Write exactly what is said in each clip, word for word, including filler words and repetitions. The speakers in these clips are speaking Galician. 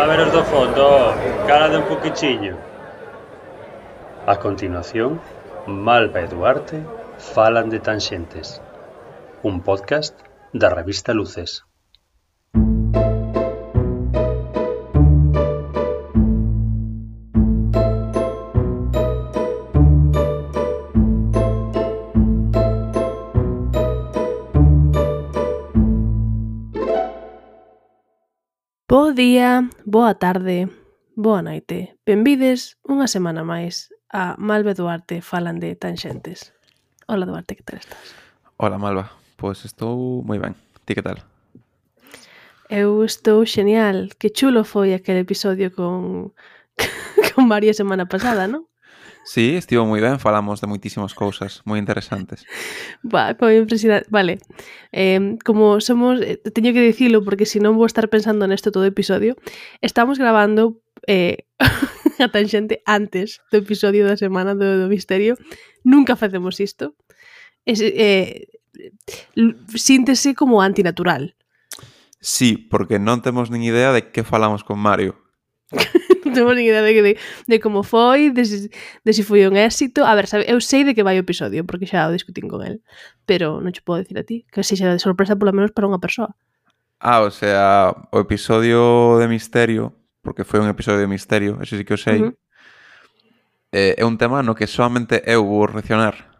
A ver os do fondo, calade un poquichiño. A continuación, Malva e Duarte falan de Tanxentes, un podcast da revista Luces. Bo día, boa tarde, boa noite. Benvides unha semana máis a Malva e Duarte falan de Tanxentes. Hola Duarte, que tal estás? Hola Malva, pois estou moi ben. Ti que tal? Eu estou xenial. Que chulo foi aquele episodio con con María semana pasada, non? Sí, estivo moi ben, falamos de moitísimas cousas moi interesantes. Buah, foi impresionante. Vale, eh, como somos, eh, teño que dicilo porque se non vou estar pensando nesto todo o episodio, estamos grabando eh, a Tanxente antes do episodio da semana do, do misterio. Nunca facemos isto. Es, eh, síntese como antinatural. Sí, porque non temos nin idea de que falamos con Mario. Non temos nin idea de, de, de como foi, de se, de se foi un éxito. A ver, sabe, eu sei de que vai o episodio, porque xa o discutín con el, pero non che podo dicir a ti, que sexa de sorpresa polo menos para unha persoa. Ah, o sea, o episodio de misterio, porque foi un episodio de misterio, eso sí que o sei, uh-huh. eh, é un tema no que solamente eu vou reaccionar.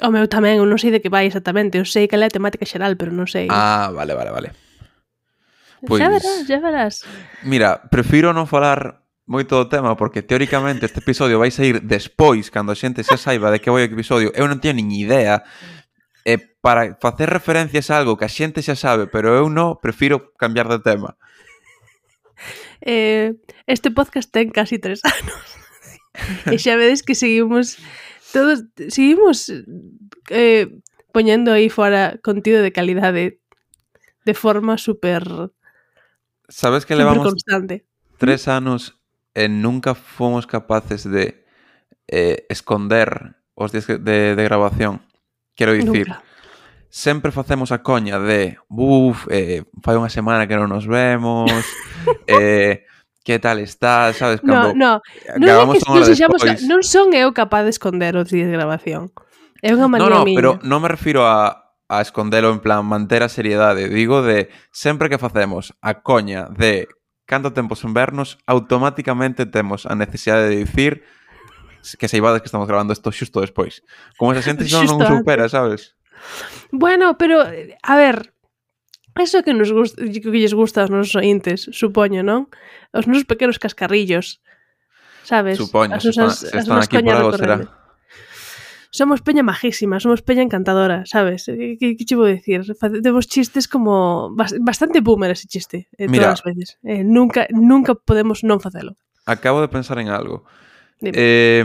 O meu tamén, eu non sei de que vai exactamente, eu sei que é a temática xeral, pero non sei. Ah, vale, vale, vale. Pois, xa verás, xa verás. Mira, prefiro non falar moito do tema porque teóricamente este episodio vai sair despois, cando a xente xa saiba de que vai o episodio. Eu non teño nin idea. E para facer referencias a algo que a xente xa sabe, pero eu non, prefiro cambiar de tema. Eh, este podcast ten casi tres anos. E xa vedes que seguimos todos, seguimos eh, poñendo aí fora contido de calidade de forma super Sabes que levamos constante. Tres anos e nunca fomos capaces de eh, esconder os días de, de grabación. Quero dicir, nunca. Sempre facemos a coña de buf, eh, fai unha semana que non nos vemos, eh, que tal está, sabes? Cando no, no, non é que non, sexamos, non son eu capaz de esconder os días de grabación. É unha manía miña. No, no, miña. pero non me refiro a a escondelo en plan manter a seriedade. Digo de sempre que facemos a coña de canto tempo sen vernos, automáticamente temos a necesidade de dicir que saibades que estamos grabando isto xusto despois. Como esa xente xa non supera, sabes? Bueno, pero, a ver, eso que nos gusta, que lles gusta aos nosos ointes, supoño, non? Os nosos pequenos cascarrillos, sabes? Supoño, as nosas, se están aquí por algo será. Somos peña majísima, somos peña encantadora, sabes? Que, que, que che vou dicir? Temos chistes como bastante boomer ese chiste, eh, Mira, todas as veces. Eh, nunca, nunca podemos non facelo. Acabo de pensar en algo. Eh,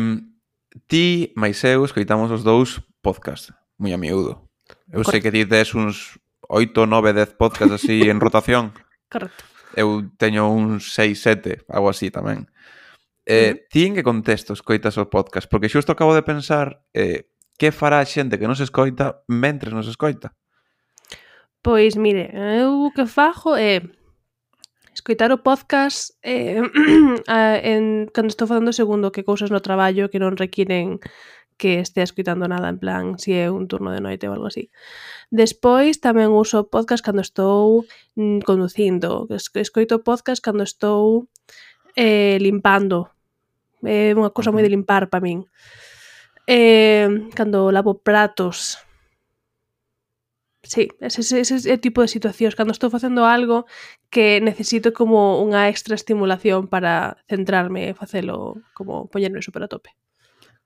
ti, máis eu, escoitamos os dous podcast, moi a miúdo. Eu Correcto. Sei que ti tes uns oito, nove, dez podcast así en rotación. Correcto. Eu teño uns seis, sete, algo así tamén. Eh, uh-huh. Ti en que contexto escoitas o podcast? Porque xusto acabo de pensar eh, que fará a xente que nos escoita mentres nos escoita? Pois mire, eu que fago é escoitar o podcast eh, en, cando estou facendo segundo que cousas no traballo que non requiren que estea escoitando nada, en plan, si é un turno de noite ou algo así. Despois tamén uso podcast cando estou mm, conducindo, escoito podcast cando estou eh, limpando. É unha cousa moi de limpar para min. Eh, cando lavo pratos. Sí, ese, ese, ese é o tipo de situacións. Cando estou facendo algo que necesito como unha extra estimulación para centrarme e facelo, como poñerme super a tope.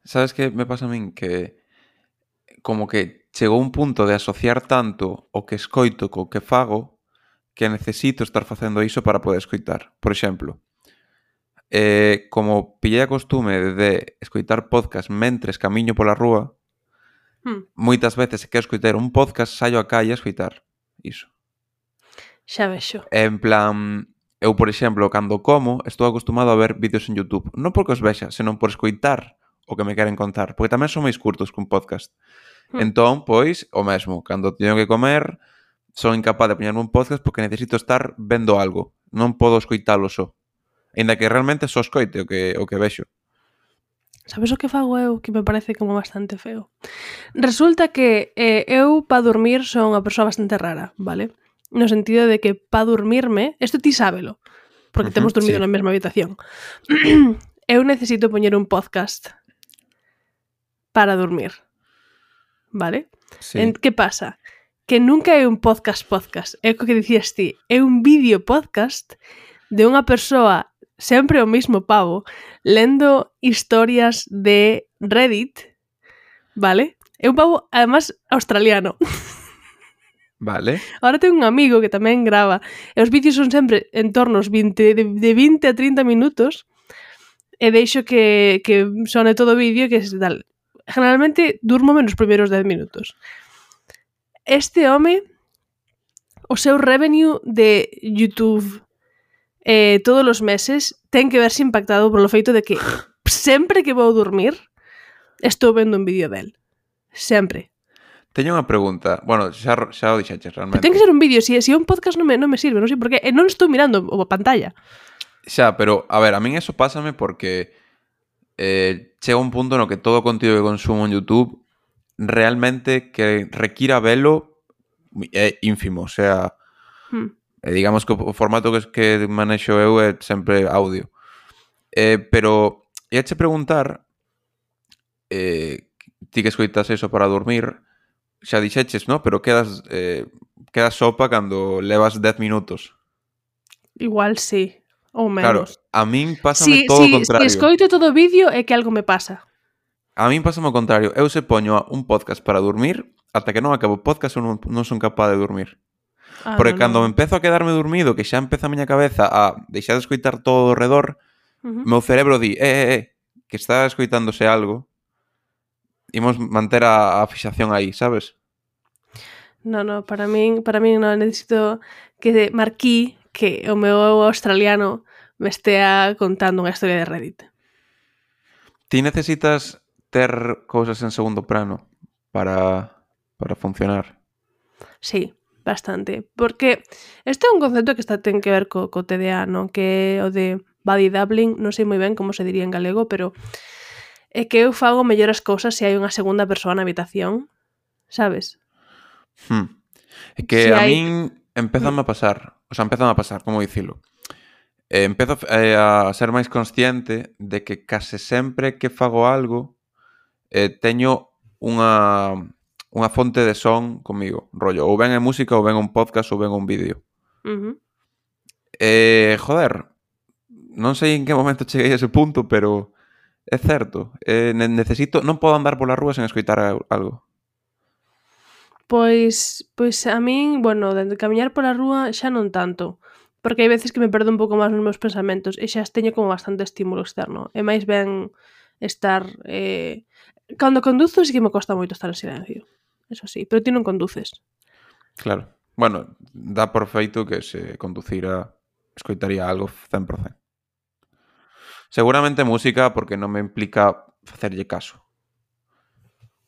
Sabes que me pasa a min? Que como que chegou un punto de asociar tanto o que escoito co que fago que necesito estar facendo iso para poder escoitar. Por exemplo, Eh, como pillei a costume de escoitar podcast mentres camiño pola rúa, hmm. moitas veces se quero escoitar un podcast, saio a calle a escoitar iso. Xa vexo. En plan, eu, por exemplo, cando como, estou acostumado a ver vídeos en YouTube. Non porque os vexa, senón por escoitar o que me queren contar. Porque tamén son máis curtos que un podcast. Hmm. Entón, pois, o mesmo. Cando teño que comer, son incapaz de poñerme un podcast porque necesito estar vendo algo. non podo escoitalo só. Ainda que realmente só escoite o que, o que vexo. Sabes o que fago eu que me parece como bastante feo? Resulta que eh, eu pa dormir son unha persoa bastante rara, vale? No sentido de que pa dormirme, isto ti sábelo, porque Uh-huh, temos dormido sí. na mesma habitación. Eu necesito poñer un podcast para dormir, vale? Sí. En, que pasa? Que nunca é un podcast podcast, é o que dicías ti, é un vídeo podcast de unha persoa, sempre o mismo pavo, lendo historias de Reddit, vale? É un pavo, además, australiano. Vale. Ahora tengo un amigo que tamén grava, e os vídeos son sempre en torno aos vinte, de, de vinte a trinta minutos, e deixo que, que sone todo o vídeo, que es tal. Generalmente durmo menos os primeiros dez minutos. Este home, o seu revenue de YouTube eh, todos os meses ten que verse impactado polo feito de que sempre que vou dormir estou vendo un vídeo del. Sempre. Teño unha pregunta. Bueno, xa, xa o dixeches realmente. Pero ten que ser un vídeo. Se, se un podcast non me, non me sirve, non sei por qué. E non estou mirando a pantalla. Xa, pero, a ver, a min eso pásame porque eh, chega un punto no que todo o contido que consumo en YouTube realmente que requira velo é ínfimo. O sea, Hmm. eh, digamos que o formato que, que manexo eu é sempre audio. Eh, pero, ia che preguntar, eh, ti que escoitas eso para dormir, xa dixeches, ¿no? Pero quedas, eh, quedas sopa cando levas dez minutos. Igual sí. Ou Claro, menos. a min pásame Si, todo o si, contrario. si escoito todo o vídeo é que algo me pasa. A min pásame o contrario. Eu se poño un podcast para dormir, ata que non acabo o podcast eu non, non son capaz de dormir. Ah, Porque no, cando no. me empezo a quedarme dormido, que xa empeza a miña cabeza a deixar de escoitar todo ao redor, Uh-huh. o meu cerebro di, eh, eh, eh, que está escoitándose algo, imos manter a, a fixación aí, sabes? No, no, para min, para min non necesito que Marquí, que o meu australiano me estea contando unha historia de Reddit. Ti necesitas ter cousas en segundo plano para, para funcionar. Sí, bastante. Porque este é un concepto que está ten que ver co, co T D A, non? Que é o de body doubling, non sei moi ben como se diría en galego, pero é que eu fago mellor as cousas se hai unha segunda persoa na habitación, sabes? Hmm. É que Si a hai- min empezame a pasar, o sea, empezame a pasar, como dicilo? Eh, empezo eh, a ser máis consciente de que case sempre que fago algo eh, teño unha, unha fonte de son comigo, rollo, ou ben é música, ou ben un podcast, ou ben un vídeo. Uh-huh. Eh, joder, non sei en que momento cheguei a ese punto, pero é certo. Eh, ne- necesito, non podo andar pola rúa sen escoitar a- algo. Pois, pois a min, bueno, de camiñar pola rúa xa non tanto, porque hai veces que me perdo un pouco máis nos meus pensamentos e xa teño como bastante estímulo externo. É máis ben estar... Eh... Cando conduzo sí que me costa moito estar en silencio. Eso sí, pero ti non conduces. Claro. Bueno, dá por feito que se conducira escoitaría algo cen por cento. Seguramente música porque non me implica facerlle caso.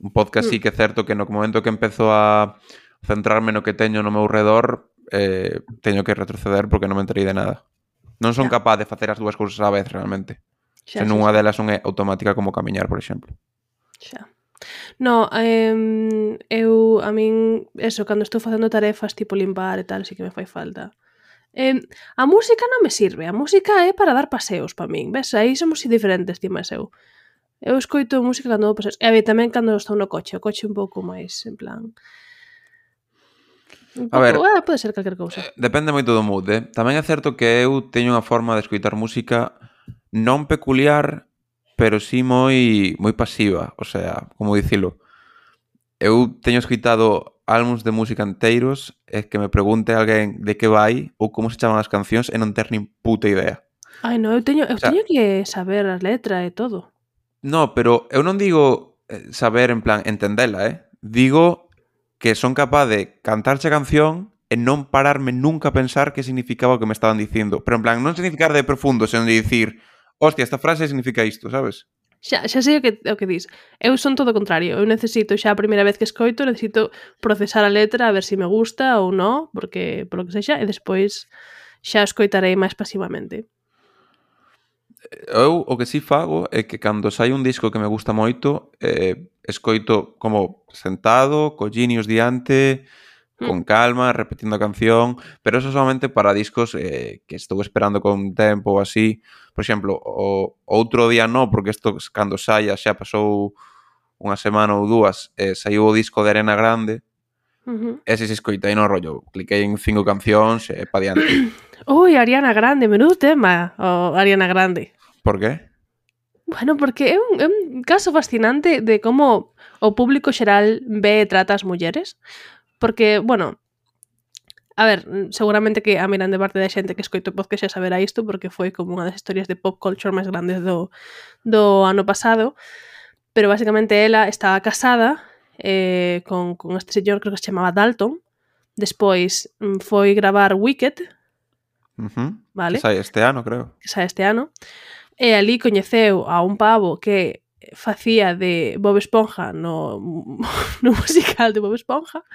Un podcast sí que é certo que no momento que empezo a centrarme no que teño no meu redor, eh, teño que retroceder porque non me enterei de nada. Non son Xa. capaz de facer as dúas cousas á vez realmente. Xa, Se xa, nunha xa, delas non é automática como camiñar, por exemplo. xa. No, eh, eu, a min, eso, cando estou facendo tarefas tipo limpar e tal, sí que me fai falta. Eh, a música non me sirve, a música é para dar paseos para min, ves? Aí somos diferentes, ti máis eu. Eu escoito música cando vou paseos. E a ver, tamén cando estou no coche, o coche un pouco máis, en plan... Un A pouco, ver, ah, pode ser calquer cousa. Depende moito do mood, eh? Tamén é certo que eu teño unha forma de escoitar música non peculiar, pero sí moi moi pasiva, o sea, como dicilo. Eu teño escoitado álbums de música enteiros e que me pregunte alguén de que vai ou como se chaman as cancións e non ter nin puta idea. Ai, no, eu teño, eu O sea- teño que saber as letras e todo. No, pero eu non digo eh, saber en plan entendela, eh? Digo que son capaz de cantarche a canción e non pararme nunca a pensar que significaba o que me estaban dicindo. Pero en plan, non significar de profundo, senón de dicir, hostia, esta frase significa isto, sabes? Xa, xa sei o que, o que dis. Eu son todo o contrario. Eu necesito xa a primeira vez que escoito, necesito procesar a letra a ver se si me gusta ou non, porque polo que sexa, e despois xa escoitarei máis pasivamente. Eu o que si fago é que cando sai un disco que me gusta moito, eh, escoito como sentado, collinios diante, con calma, repetindo a canción, pero eso solamente para discos eh, que estou esperando con tempo ou así. Por exemplo, o outro día no, porque isto cando saia xa pasou unha semana ou dúas, eh, saiu o disco de Ariana Grande, Uh-huh. ese se escoitei no rollo, cliquei en cinco cancións e eh, pa diante. Ui, Ariana Grande, menudo tema, o Ariana Grande. Por qué? Bueno, porque é un, é un caso fascinante de como o público xeral ve e trata as mulleres. Porque, bueno, a ver, seguramente que a mirande parte da xente que escoito podcast xa saberá isto, porque foi como unha das historias de pop culture máis grandes do, do ano pasado. Pero basicamente ela estaba casada eh, con, con este señor, creo que se chamaba Dalton. Despois foi gravar Wicked, Uh-huh. vale? Que sai este ano, creo. Que sai este ano. E ali coñeceu a un pavo que facía de Bob Esponja no, no musical de Bob Esponja.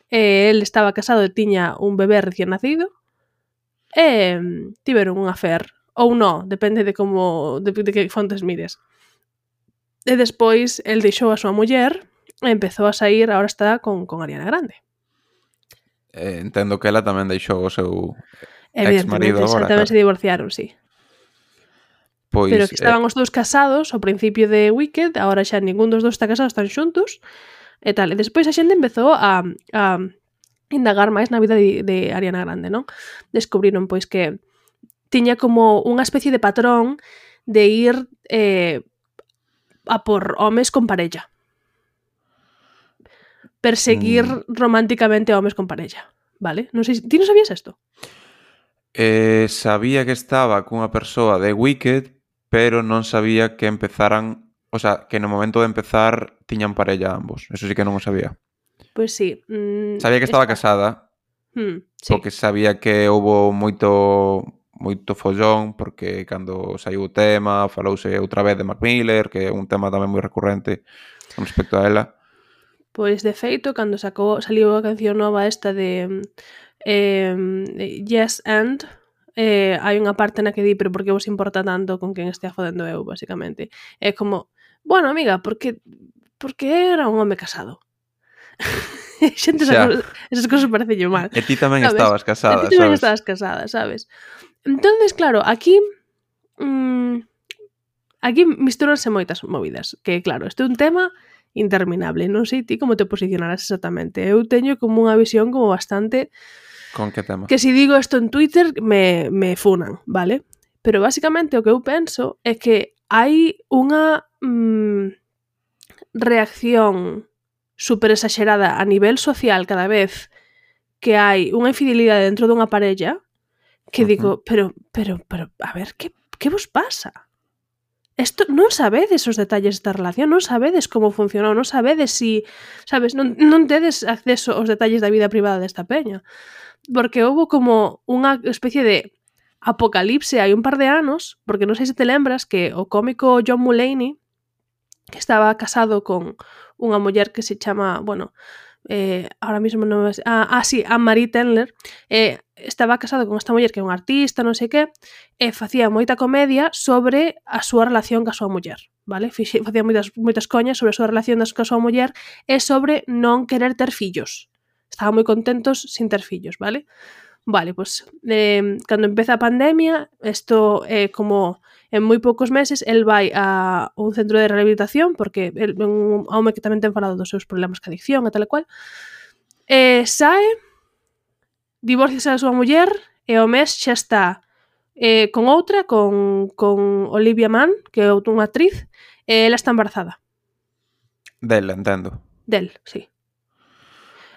E el estaba casado e tiña un bebé recién nacido. E tiveron un affair. Ou non, depende de como de, de que fontes mires. E despois el deixou a súa muller e empezou a sair, agora está con, con Ariana Grande. Eh, entendo que ela tamén deixou o seu ex-marido agora, tamén claro. Se divorciaron, sí. Pois, pero que estaban eh... os dous casados ao principio de Wicked, agora xa ningún dos dous está casado, están xuntos e tal. E despois a xente empezou a, a indagar máis na vida de, de Ariana Grande, non? Descubriron pois que tiña como unha especie de patrón de ir eh, a por homes con parella. Perseguir mm. románticamente a homes con parella, vale? Non sei, ti non sabías isto? Eh, sabía que estaba cunha persoa de Wicked, pero non sabía que empezaran, o sea, que no momento de empezar tiñan parella ambos. Eso sí que non o sabía. Pois pues sí. Mm, sabía que estaba esta... casada, mm, sí. porque sabía que houbo moito moito follón, porque cando saiu o tema, falouse outra vez de Mac Miller, que é un tema tamén moi recurrente con respecto a ela. Pois, de feito, cando sacou, saliu a canción nova esta de eh, Yes and, eh, hai unha parte na que di, pero por que vos importa tanto con quen estea fodendo eu, basicamente. É como, bueno, amiga, porque porque era un home casado. Xente, esas, esas cosas parecen mal. E ti tamén ¿sabes? estabas casada, e ti tamén sabes? estabas casada, sabes? Entonces, claro, aquí mmm, aquí mistúranse moitas movidas, que claro, este é un tema interminable, non sei ti como te posicionarás exactamente. Eu teño como unha visión como bastante... Con que tema? Que si digo isto en Twitter me, me funan, vale? Pero basicamente o que eu penso é que hai unha mmm, reacción super exagerada a nivel social cada vez que hai unha infidelidade dentro dunha parella que uh-huh. digo, pero, pero, pero, a ver, que, que vos pasa? Esto, non sabedes os detalles desta relación, non sabedes como funcionou, non sabedes si, sabes, non, non tedes acceso aos detalles da vida privada desta peña. Porque houve como unha especie de apocalipse hai un par de anos, porque non sei se te lembras que o cómico John Mulaney, que estaba casado con unha muller que se chama, bueno, eh, ahora mismo non é... Ah, ah, sí, Anne-Marie Tendler, eh, estaba casado con esta muller que é un artista, non sei que, e facía moita comedia sobre a súa relación ca súa muller, vale? Facía moitas, moitas coñas sobre a súa relación ca súa muller e sobre non querer ter fillos. Estaban moi contentos sin ter fillos, vale? Vale, pois, pues, eh, cando empeza a pandemia, isto é eh, como en moi poucos meses, el vai a un centro de rehabilitación, porque é un home que tamén ten falado dos seus problemas ca adicción e tal e cual, e sae, divorciase da súa muller, e ao mes xa está eh, con outra, con, con Olivia Munn, que é unha actriz, e ela está embarazada. Del, entendo. Del, sí.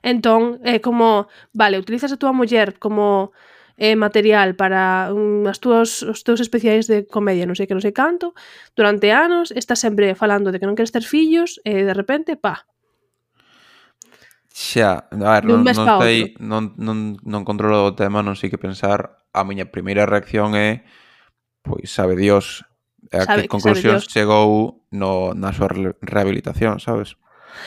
Entón, é como, vale, utilizas a túa muller como eh, material para um, as túas, os teus especiais de comedia, non sei que, non sei canto, durante anos, estás sempre falando de que non queres ter fillos, e de repente, pa. Xa, a ver, non, non, sei, non, non, non controlo o tema, non sei que pensar. A miña primeira reacción é, pois, sabe Dios, a sabe, que conclusións chegou no, na súa rehabilitación, sabes?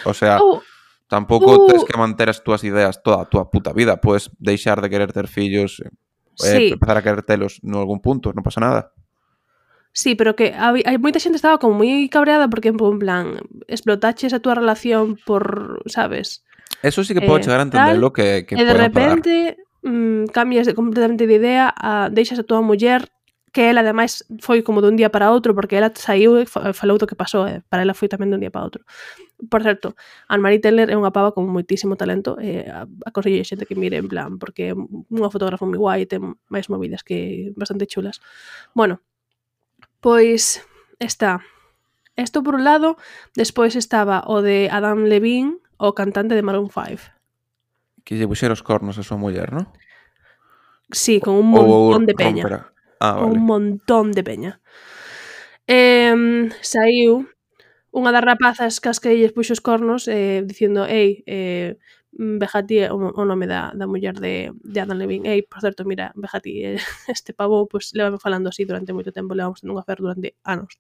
O sea... Oh. Tampouco uh, tens que manter as túas ideas toda a túa puta vida. Podes deixar de querer ter fillos eh, Sí, empezar a querer telos en algún punto, non pasa nada. sí, pero que hai, hai moita xente estaba como moi cabreada porque en plan explotaches a túa relación por, sabes, Eso sí que podo eh, chegar a tal, entendelo que, que e de pode enfadar. repente mm, cambias de, completamente de idea, a, deixas a túa muller, que ela ademais foi como dun día para outro, porque ela saiu e fa- falou do que pasou, e para ela foi tamén dun día para outro. Por certo, Anne-Marie Teller é unha pava con moitísimo talento, e a, aconsello a xente que mire en plan, porque é unha fotógrafa moi guai e ten máis movidas que bastante chulas. Bueno, pois está isto por un lado, despois estaba o de Adam Levine, o cantante de Maroon five. Que lle puxera os cornos a súa muller, non? Sí, con un Ou montón de peña. rompera. Ah, Con vale. un montón de peña. Eh, saiu unha das rapazas cas que lles puxo os cornos eh, dicindo, ei, eh, Vejati é o, o nome da, da muller de, de Adam Levine. Ei, por certo, mira, Vejati, eh, este pavo, pues, levame falando así durante moito tempo, levamos tendo unha fer durante anos.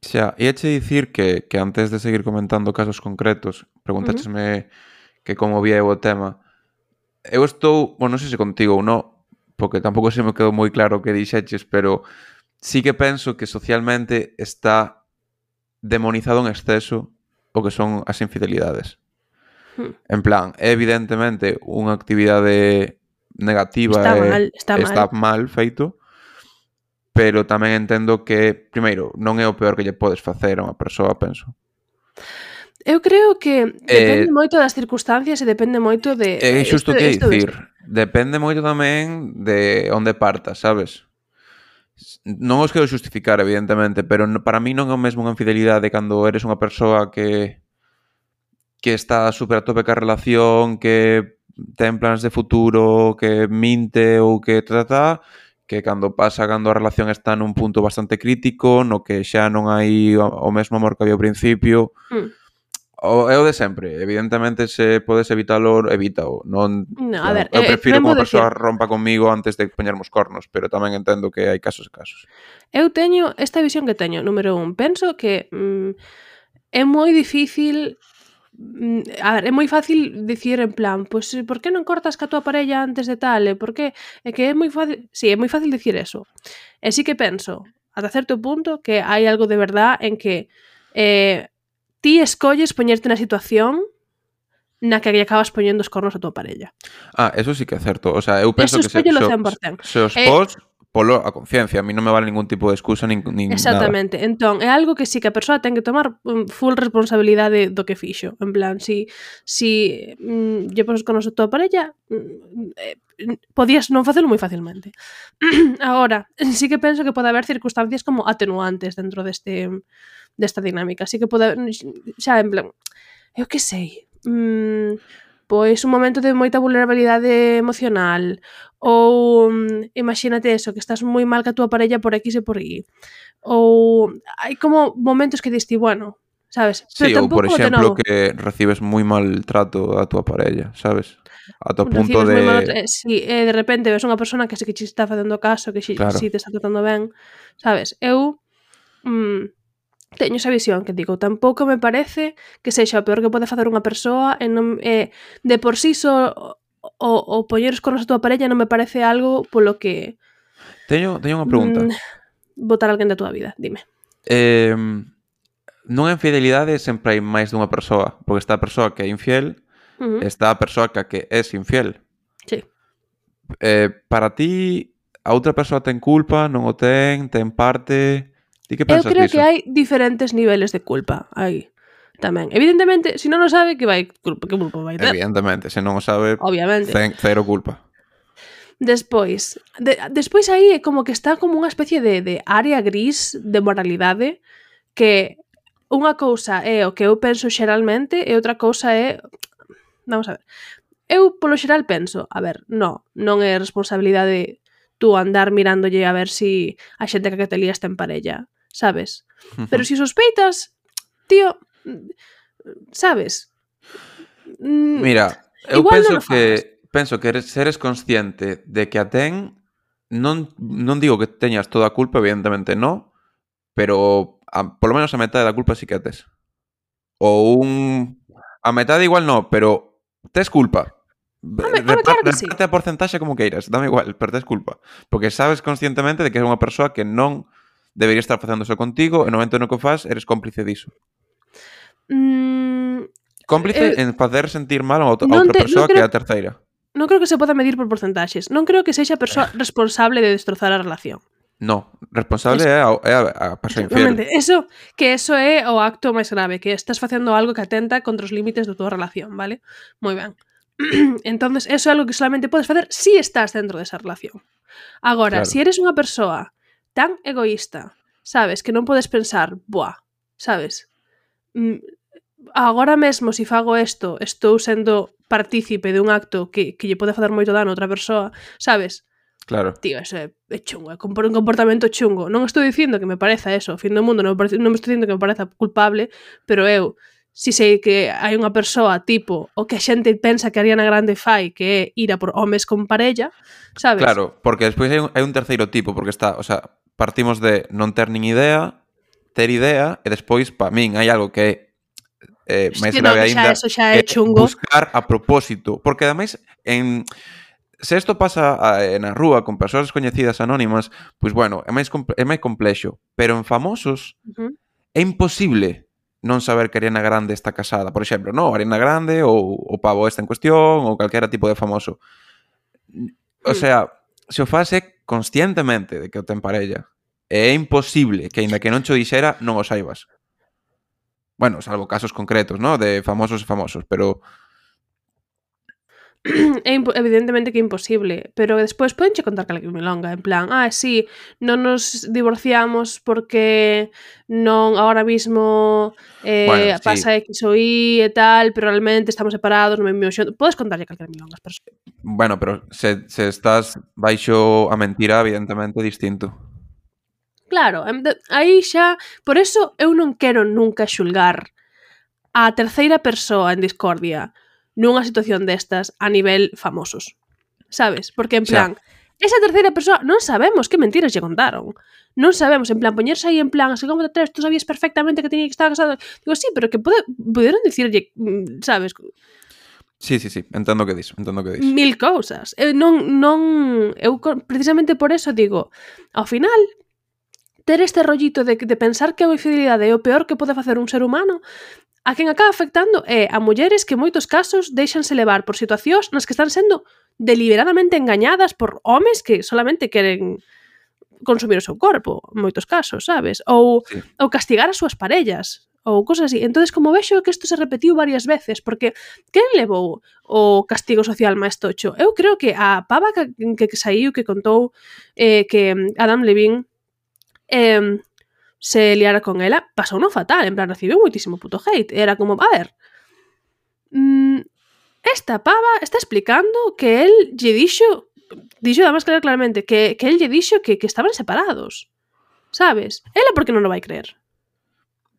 Xa, iache dicir que, que antes de seguir comentando casos concretos, preguntáchesme uh -huh. que como vía eu o tema. Eu estou, bueno, non sei se contigo ou non, porque tampouco se me quedou moi claro o que dixeches, pero sí que penso que socialmente está demonizado en exceso o que son as infidelidades. Hmm. En plan, é evidentemente unha actividade negativa Está e mal, está mal. está mal feito, pero tamén entendo que, primeiro, non é o peor que lle podes facer a unha persoa, penso. Eu creo que depende Eh, moito das circunstancias e depende moito de... É xusto isto, que isto, dicir, isto. depende moito tamén de onde partas, sabes? Non os quero xustificar, evidentemente, pero para mí non é o mesmo unha infidelidade cando eres unha persoa que que está super a tope ca relación, que ten plans de futuro, que minte ou que trata, que cando pasa cando a relación está nun punto bastante crítico, no que xa non hai o mesmo amor que había ao principio. Hmm. O, é o de sempre, evidentemente se podes evitalo, evítao. Non, No, a ver, eu eh, prefiro que tamén unha vou persoa decir, rompa comigo antes de poñermos cornos, pero tamén entendo que hai casos e casos. eu teño esta visión que teño, número un, penso que mm, é moi difícil, mm, a ver, é moi fácil dicir en plan, pois, pues, por que non cortas ca tua parella antes de tal, e por que, é que é moi fácil, sí, é moi fácil dicir eso, e sí que penso, ata certo punto, que hai algo de verdad en que eh, ti escolles poñerte na situación na que lle acabas poñendo os cornos a tua parella. Ah, eso sí que é certo. O sea, eu penso Eso que se, escóllelo se, cen por cen. se os Eh, pos polo a conciencia. A mí non me vale ningún tipo de excusa nin, nin Exactamente. nada. Entón, é algo que sí que a persoa ten que tomar um, full responsabilidade do que fixo. En plan, si, si mm, lle pos con a tua parella, mm, eh, podías non facelo moi facilmente. Agora, sí que penso que pode haber circunstancias como atenuantes dentro deste desta dinámica. Sí que pode haber, xa, en plan, eu que sei, mm, pois un momento de moita vulnerabilidade emocional, ou mm, imagínate eso, que estás moi mal ca túa parella por X e por Y, ou hai como momentos que diste, bueno, sabes, Sí, pero ou por tampouco de exemplo novo que recibes moi mal trato a tua parella, sabes? A to punto recibes moi mal, de... eh, si eh, de repente ves unha persona que sí que te está facendo caso, que si, Claro. si te está tratando ben, sabes, eu mm, teño esa visión que digo, tampouco me parece que sexa o peor que pode facer unha persoa e non, eh, de por sí só o, o poñer os cornos a tua parella non me parece algo polo que Teño, teño unha pregunta. mm, botar alguén da tua vida, dime. Eh, nunha infidelidade sempre hai máis dunha persoa, porque está a persoa que é infiel, Uh -huh. está a persoa que, que es infiel. Sí. Eh, para ti, a outra persoa ten culpa, non o ten, ten parte... Ti que Eu pensas creo diso? que hai diferentes niveles de culpa aí tamén. Evidentemente, se non o sabe, que vai culpa, que culpa vai ter? Evidentemente, se non o sabe, Obviamente. cen, cero culpa. Despois, de, despois aí é como que está como unha especie de, de área gris de moralidade que unha cousa é o que eu penso xeralmente e outra cousa é... Vamos a ver. Eu, polo xeral, penso, a ver, no, non é responsabilidade tú andar mirándolle a ver si a xente que te lías ten parella, sabes? Pero si sospeitas, tío, sabes? Mira, eu igual penso non o que fagas. penso que eres, seres consciente de que a ten, non, non digo que teñas toda a culpa, evidentemente non, pero a, polo menos a metade da culpa sí que a tes. Ou un... A metade igual non, pero tes culpa. Home, home, claro que sí. Reparte a porcentaxe como queiras, dame igual, pero tes culpa. Porque sabes conscientemente de que é unha persoa que non debería estar facendo eso contigo, e no momento no que o faz, eres cómplice diso. Mm, Cómplice eh, en facer sentir mal a outra, a non outra te- non persoa que creo- é a terceira. non creo que se poda medir por porcentaxes. Non creo que sexa a persoa responsable de destrozar a relación. No, responsable é a, é a, a persoa infiel. Exactamente. Eso, que eso é o acto máis grave, que estás facendo algo que atenta contra os límites da tua relación, vale? Moi ben. Entonces, eso é algo que solamente podes facer si estás dentro desa relación. Agora, Claro. si eres unha persoa tan egoísta, sabes, que non podes pensar, buah, sabes, mm, agora mesmo si fago isto, estou sendo partícipe de un acto que, que lle pode facer moito dano a outra persoa, sabes? Claro. Tío, eso é, é chungo, é un comportamento chungo. Non estou dicindo que me pareza eso, o fin do mundo, non me, parece, non me estou dicindo que me pareza culpable, pero eu, si sei que hai unha persoa tipo o que a xente pensa que Ariana Grande fai, que é ir a por homes con parella, sabes? Claro, porque despois hai un, hai un terceiro tipo, porque está, o sea, partimos de non ter nin idea, ter idea, e despois, pa min, hai algo que é eh, Es máis que non, grave xa aínda, eso xa é é chungo. buscar a propósito, porque ademais en se isto pasa a, na rúa con persoas descoñecidas anónimas, pois bueno, é máis comple- é máis complexo, pero en famosos Uh-huh. é imposible non saber que Ariana Grande está casada, por exemplo, no, Ariana Grande ou o pavo este en cuestión ou calquera tipo de famoso. O Mm. sea, se o faz é conscientemente de que o ten parella. É imposible que, aínda que non cho dixera, non o saibas. Bueno, salvo casos concretos, ¿no? De famosos e famosos, pero É impo- evidentemente que é imposible, pero despois podenche contar calquera milonga, en plan, ah, sí, non nos divorciamos porque non agora mismo eh, Bueno, sí. pasa X ou Y e tal, pero realmente estamos separados, non me envío xunto. Podes contarlle calquera milonga ás persoas. Bueno, pero se, se estás baixo a mentira, evidentemente é distinto. Claro, em, de- aí xa, por eso eu non quero nunca xulgar a terceira persoa en discordia nunha situación destas a nivel famosos. Sabes? Porque en Xa. plan, esa terceira persoa non sabemos que mentiras lle contaron. Non sabemos, en plan, poñerse aí en plan, así como te atreves, tú sabías perfectamente que tenía que estar casado. Digo, sí, pero que pode, poderon dicirlle, mm, sabes, Sí, sí, sí, entendo que dis, entendo que dis. mil cousas. Eu non, non, eu co- precisamente por eso digo, ao final, ter este rollito de, de pensar que a infidelidade é o peor que pode facer un ser humano, a quen acaba afectando é a mulleres que en moitos casos deixanse levar por situacións nas que están sendo deliberadamente engañadas por homes que solamente queren consumir o seu corpo, en moitos casos, sabes? Ou, Sí. ou castigar as súas parellas, ou cosas así. Entonces, como vexo que isto se repetiu varias veces, porque quen levou o castigo social máis tocho? Eu creo que a pava que, que, que saiu, que contou eh, que Adam Levine eh, se liara con ela, pasou no fatal, en plan, recibiu moitísimo puto hate. Era como, a ver, mm, esta pava está explicando que él lle dixo, dixo además claro claramente, que, que él lle dixo que, que estaban separados, sabes? Ela por que non o vai creer?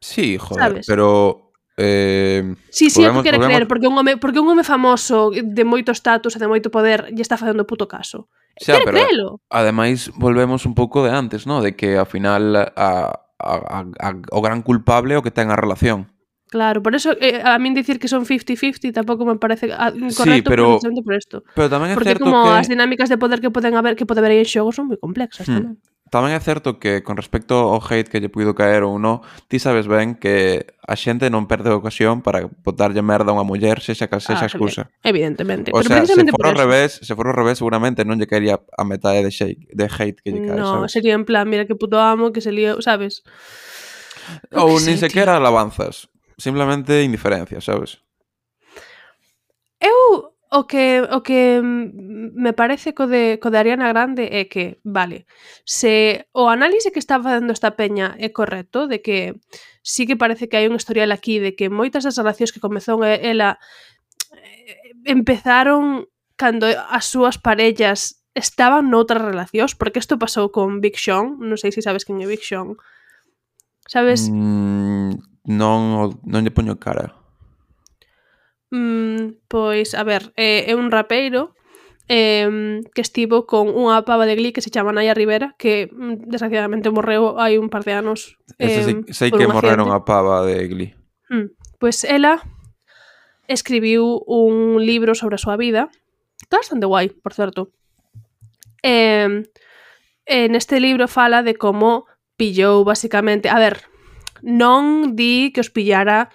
Sí, joder, Sabes? pero eh, Sí, sí, é volvemos- que quere volvemos- creer, porque un home, porque un home famoso de moito status e de moito poder lle está facendo puto caso. xa, Quere pero creelo. ademais volvemos un pouco de antes, ¿no? De que ao final a, a, a, a, o gran culpable é o que ten a relación. Claro, por eso eh, a min dicir que son cincuenta cincuenta tampouco me parece ah, correcto, pero- precisamente por isto. Pero tamén é Porque certo como que as dinámicas de poder que poden haber, que pode haber aí en xogo son moi complexas Hmm. tamén. tamén é certo que con respecto ao hate que lle puido caer ou non, ti sabes ben que a xente non perde a ocasión para botarlle merda a unha muller, sexa cal sexa Ah, excusa. Evidentemente. O Pero sea, se precisamente for por ao eso. revés, se for ao revés, seguramente non lle caería a metade de, shake, de hate que lle cae, No, sabes? sería en plan, mira que puto amo, que se lío, sabes? Eu Ou que nin sei, sequera alabanzas, simplemente indiferencia, sabes? Eu o que o que mm, me parece co de co de Ariana Grande é que, vale, se o análise que está facendo esta peña é correcto, de que sí que parece que hai un historial aquí de que moitas das relacións que comezou e- ela eh, empezaron cando as súas parellas estaban noutras relacións, porque isto pasou con Big Sean, non sei se sabes quen é Big Sean. Sabes? Mm, non, o- non lle poño cara. Mm, pois, a ver, é, é un rapeiro eh, que estivo con unha pava de Glee que se chama Naya Rivera, que mm, desgraciadamente morreu hai un par de anos. Ese eh, sei, sei por que un morreron accidente. a pava de Glee. Mm, pois ela escribiu un libro sobre a súa vida Está bastante guai, por certo. Eh, eh, neste libro fala de como pillou, basicamente... A ver, non di que os pillara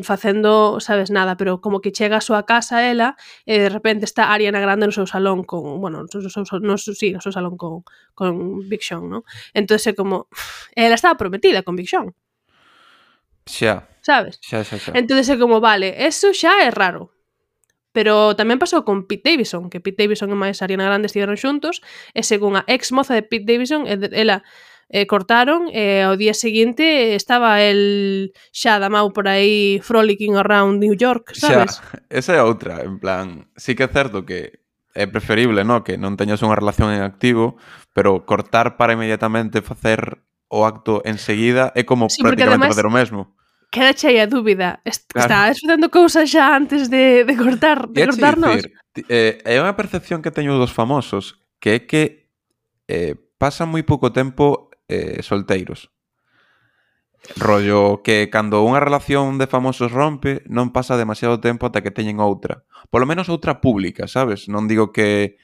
facendo, sabes, nada, pero como que chega a súa casa ela e de repente está Ariana Grande no seu salón con, bueno, no seu, no, sí, no seu salón con, con Big Sean, ¿no? Entón é como, ela estaba prometida con Big Sean. Xa. Sabes? Xa, xa, xa. Entón é como, vale, eso xa é raro. Pero tamén pasou con Pete Davidson, que Pete Davidson e máis Ariana Grande estiveron xuntos, e según a ex moza de Pete Davidson, ela eh, cortaron e ao día seguinte estaba el xa damau por aí frolicking around New York, sabes? Xa, esa é outra, en plan, sí que é certo que é preferible, no, que non teñas unha relación en activo, pero cortar para inmediatamente facer o acto enseguida é como Sí, prácticamente además, facer o mesmo. Queda cheia a dúbida. Est Claro. Estabas facendo cousas xa antes de, de cortar, de E cortarnos. dicir, eh, é unha percepción que teño dos famosos, que é que eh, pasan moi pouco tempo eh, solteiros. Rollo que cando unha relación de famosos rompe, non pasa demasiado tempo ata que teñen outra. Polo menos outra pública, sabes? Non digo que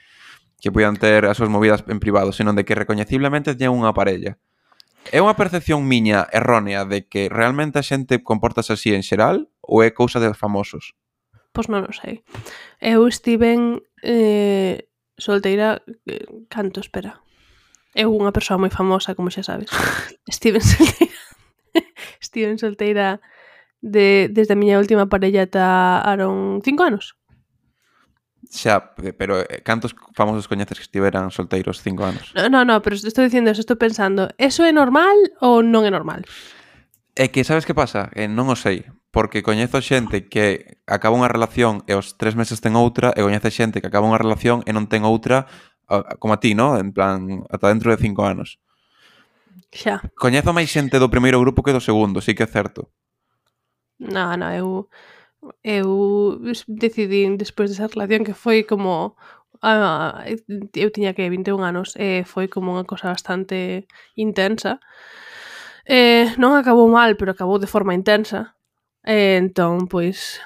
que poidan ter as súas movidas en privado, senón de que recoñeciblemente teñen unha parella. É unha percepción miña errónea de que realmente a xente comportase así en xeral ou é cousa de famosos? Pois non o sei. Eu estiven eh, solteira... Eh, canto, espera. Eu unha persoa moi famosa, como xa sabes. Estiven solteira... Estiven solteira de, desde a miña última parella ata aron cinco anos. Xa, pero cantos famosos coñeces que estiveran solteiros cinco anos? No, no, no, pero estou dicindo eso, estou pensando, eso é normal ou non é normal? É que, sabes que pasa? Eh, non o sei, porque coñezo xente que acaba unha relación e aos tres meses ten outra, e coñece xente que acaba unha relación e non ten outra, como a ti, ¿no? En plan, ata dentro de cinco anos. Xa. Coñezo máis xente do primeiro grupo que do segundo, sí que é certo. No, no, eu... Eu decidín despois desa relación que foi como... Ah, eu tiña que vinte e un anos e foi como unha cosa bastante intensa. Eh, non acabou mal, pero acabou de forma intensa. E entón, pois,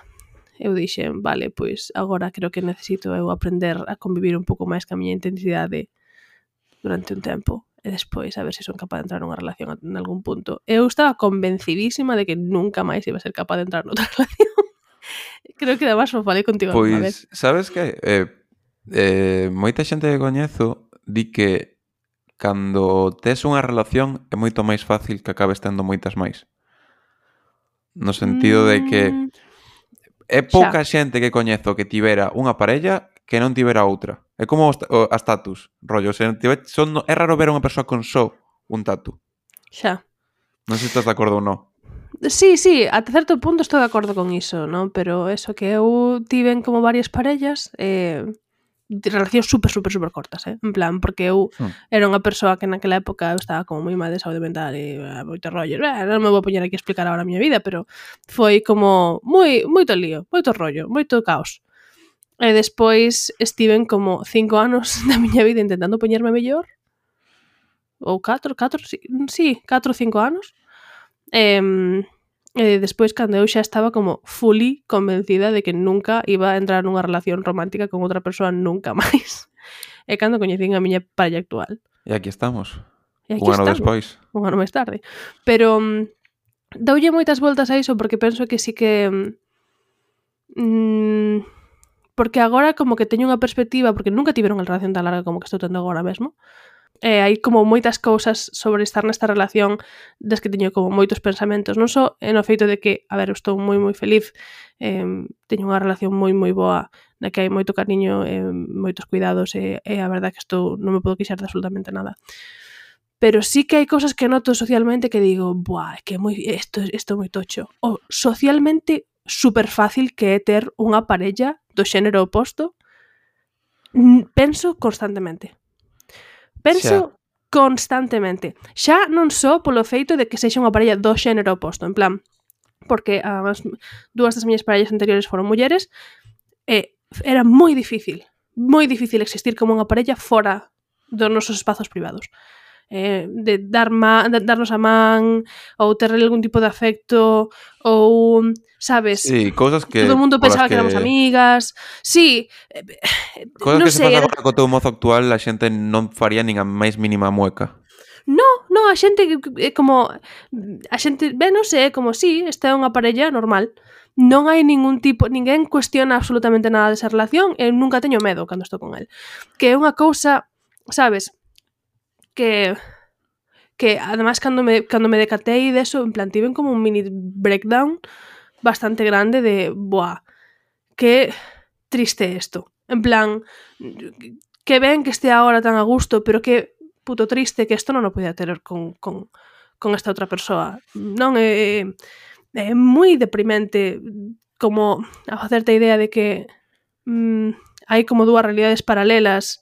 eu dixen, vale, pois agora creo que necesito eu aprender a convivir un pouco máis ca miña intensidade durante un tempo e despois a ver se son capaz de entrar nunha relación en algún punto. Eu estaba convencidísima de que nunca máis iba a ser capaz de entrar noutra relación. Creo que además o falei contigo pois, alguna vez. Sabes que eh, eh, moita xente que coñezo di que cando tes unha relación é moito máis fácil que acabes tendo moitas máis. No sentido de que é pouca xa. xente que coñezo que tivera unha parella que non tivera outra. É como o, a status, rollo. Se tive, son, é raro ver unha persoa con só un tatu. Xa. Non sei se estás de acordo ou non. Sí, sí, ata certo punto estou de acordo con iso, non? Pero eso que eu tiven como varias parellas, eh, de relacións super, super, super cortas, eh? En plan, porque eu hmm. era unha persoa que naquela época eu estaba como moi mal de saúde mental e eh, moito rollo. Eh, non me vou poñer aquí a explicar agora a miña vida, pero foi como moi, moito lío, moito rollo, moito caos. E despois estiven como cinco anos da miña vida intentando poñerme mellor. Ou catro, catro, sí, sí catro ou cinco anos. E, e despois cando eu xa estaba como fully convencida de que nunca iba a entrar nunha relación romántica con outra persoa nunca máis. E cando coñecín a miña parella actual. E aquí estamos. E aquí un ano estamos, despois. Un ano máis tarde. Pero um, doulle moitas voltas a iso porque penso que sí que... Um, porque agora como que teño unha perspectiva, porque nunca tive unha relación tan larga como que estou tendo agora mesmo. Eh, hai como moitas cousas sobre estar nesta relación das que teño como moitos pensamentos, non só en o feito de que, a ver, eu estou moi moi feliz, eh, teño unha relación moi moi boa na que hai moito cariño, eh, moitos cuidados e, e a verdade que estou non me podo queixar de absolutamente nada. Pero sí que hai cousas que noto socialmente que digo, buah, que moi isto isto é moi tocho. O socialmente super fácil que é ter unha parella do xénero oposto, penso constantemente. Penso xa. constantemente. Xa non só polo feito de que sexa unha parella do xénero oposto, en plan, porque as dúas das miñas parellas anteriores foron mulleres, e era moi difícil, moi difícil existir como unha parella fora dos nosos espazos privados. eh, de, dar ma, de darnos a man ou ter algún tipo de afecto ou, sabes, Sí, cousas que todo o mundo pensaba que... que que éramos amigas. Sí, eh, cousas non que se sei, faz era... agora co teu mozo actual, a xente non faría nin a máis mínima mueca. No, no, a xente é como a xente, ben, non sei, é como si, sí, esta é unha parella normal. Non hai ningún tipo, ninguén cuestiona absolutamente nada desa relación, eu nunca teño medo cando estou con el. Que é unha cousa, sabes, que que ademais cando me cando me decatei deso, en plan tiven como un mini breakdown bastante grande de, buah, que triste isto. En plan, que ben que estea agora tan a gusto, pero que puto triste que isto non o podía ter con, con, con esta outra persoa. Non é, é moi deprimente como a facerte a idea de que mm, hai como dúas realidades paralelas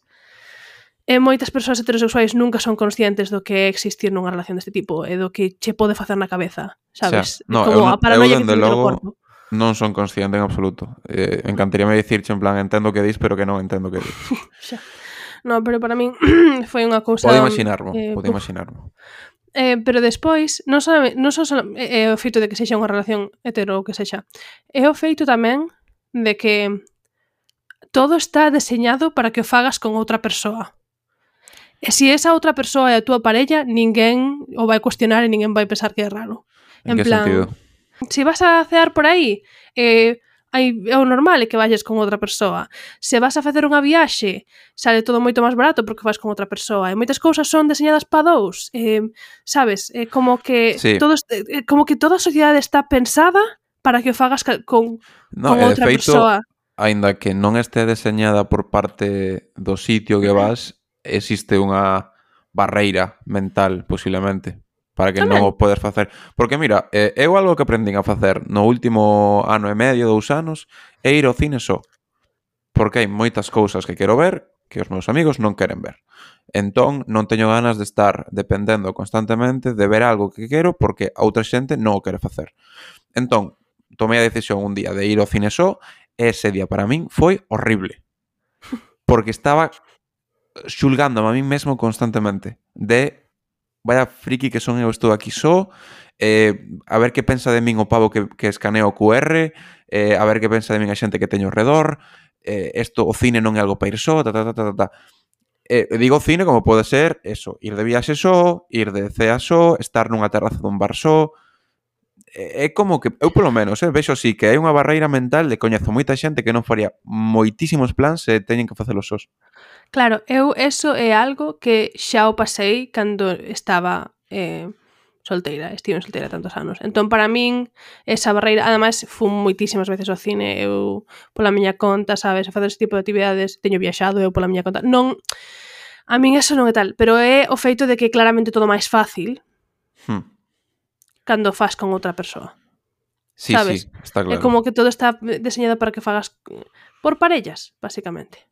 e moitas persoas heterosexuais nunca son conscientes do que é existir nunha relación deste tipo e do que che pode facer na cabeza, sabes? Xa, no, Como eu, a paranoia eu que te dende mete no logo corpo. non son consciente en absoluto. Eh, encantaríame dicirche en plan, entendo que dis, pero que non entendo que dis. Xa. No, pero para min foi unha cousa... Pode imaginarmo, eh, pode uf. imaginarmo. Eh, pero despois, non só, non só é o feito de que sexa unha relación hetero ou que sexa, é o feito tamén de que todo está deseñado para que o fagas con outra persoa. E se esa outra persoa é a túa parella, ninguén o vai cuestionar e ninguén vai pensar que é raro. En, En que plan, sentido? se vas a cear por aí, eh, hai, é o normal é que vayas con outra persoa. Se vas a facer unha viaxe, sale todo moito máis barato porque vas con outra persoa. E moitas cousas son deseñadas pa dous. Eh, sabes? É como que Sí. todo, é como que toda a sociedade está pensada para que o fagas ca, con, No, con e de outra feito, persoa. aínda que non este deseñada por parte do sitio que vas, existe unha barreira mental, posiblemente, para que Tamén. non o podes facer. Porque mira, eh, eu algo que aprendín a facer no último ano e medio, dous anos, é ir ao cine só. Porque hai moitas cousas que quero ver que os meus amigos non queren ver. Entón, non teño ganas de estar dependendo constantemente de ver algo que quero porque a outra xente non o quere facer. Entón, tomei a decisión un día de ir ao cine só e ese día para min foi horrible. Porque estaba xulgándome a min mesmo constantemente de vaya friki que son eu, estou aquí só, eh, a ver que pensa de min o pavo que, que escanea o cu erre, eh, a ver que pensa de min a xente que teño ao redor, eh, esto, o cine non é algo para ir só, ta, ta, ta, ta, ta. Eh, digo cine como pode ser eso, ir de viaxe só, ir de cea só, estar nunha terraza dun bar só. É como que, eu polo menos, eh, vexo así que hai unha barreira mental de coñezo moita xente que non faría moitísimos plans se teñen que facelos sós. Claro, eu eso é algo que xa o pasei cando estaba eh, solteira, estive solteira tantos anos. Entón, para min, esa barreira, ademais, fun moitísimas veces ao cine, eu pola miña conta, sabes, a facer ese tipo de actividades, teño viaxado eu pola miña conta. Non, a min eso non é tal, pero é o feito de que claramente todo máis fácil Hmm. cando faz con outra persoa. Sí, sabes? sí, está claro. É como que todo está deseñado para que fagas por parellas, basicamente.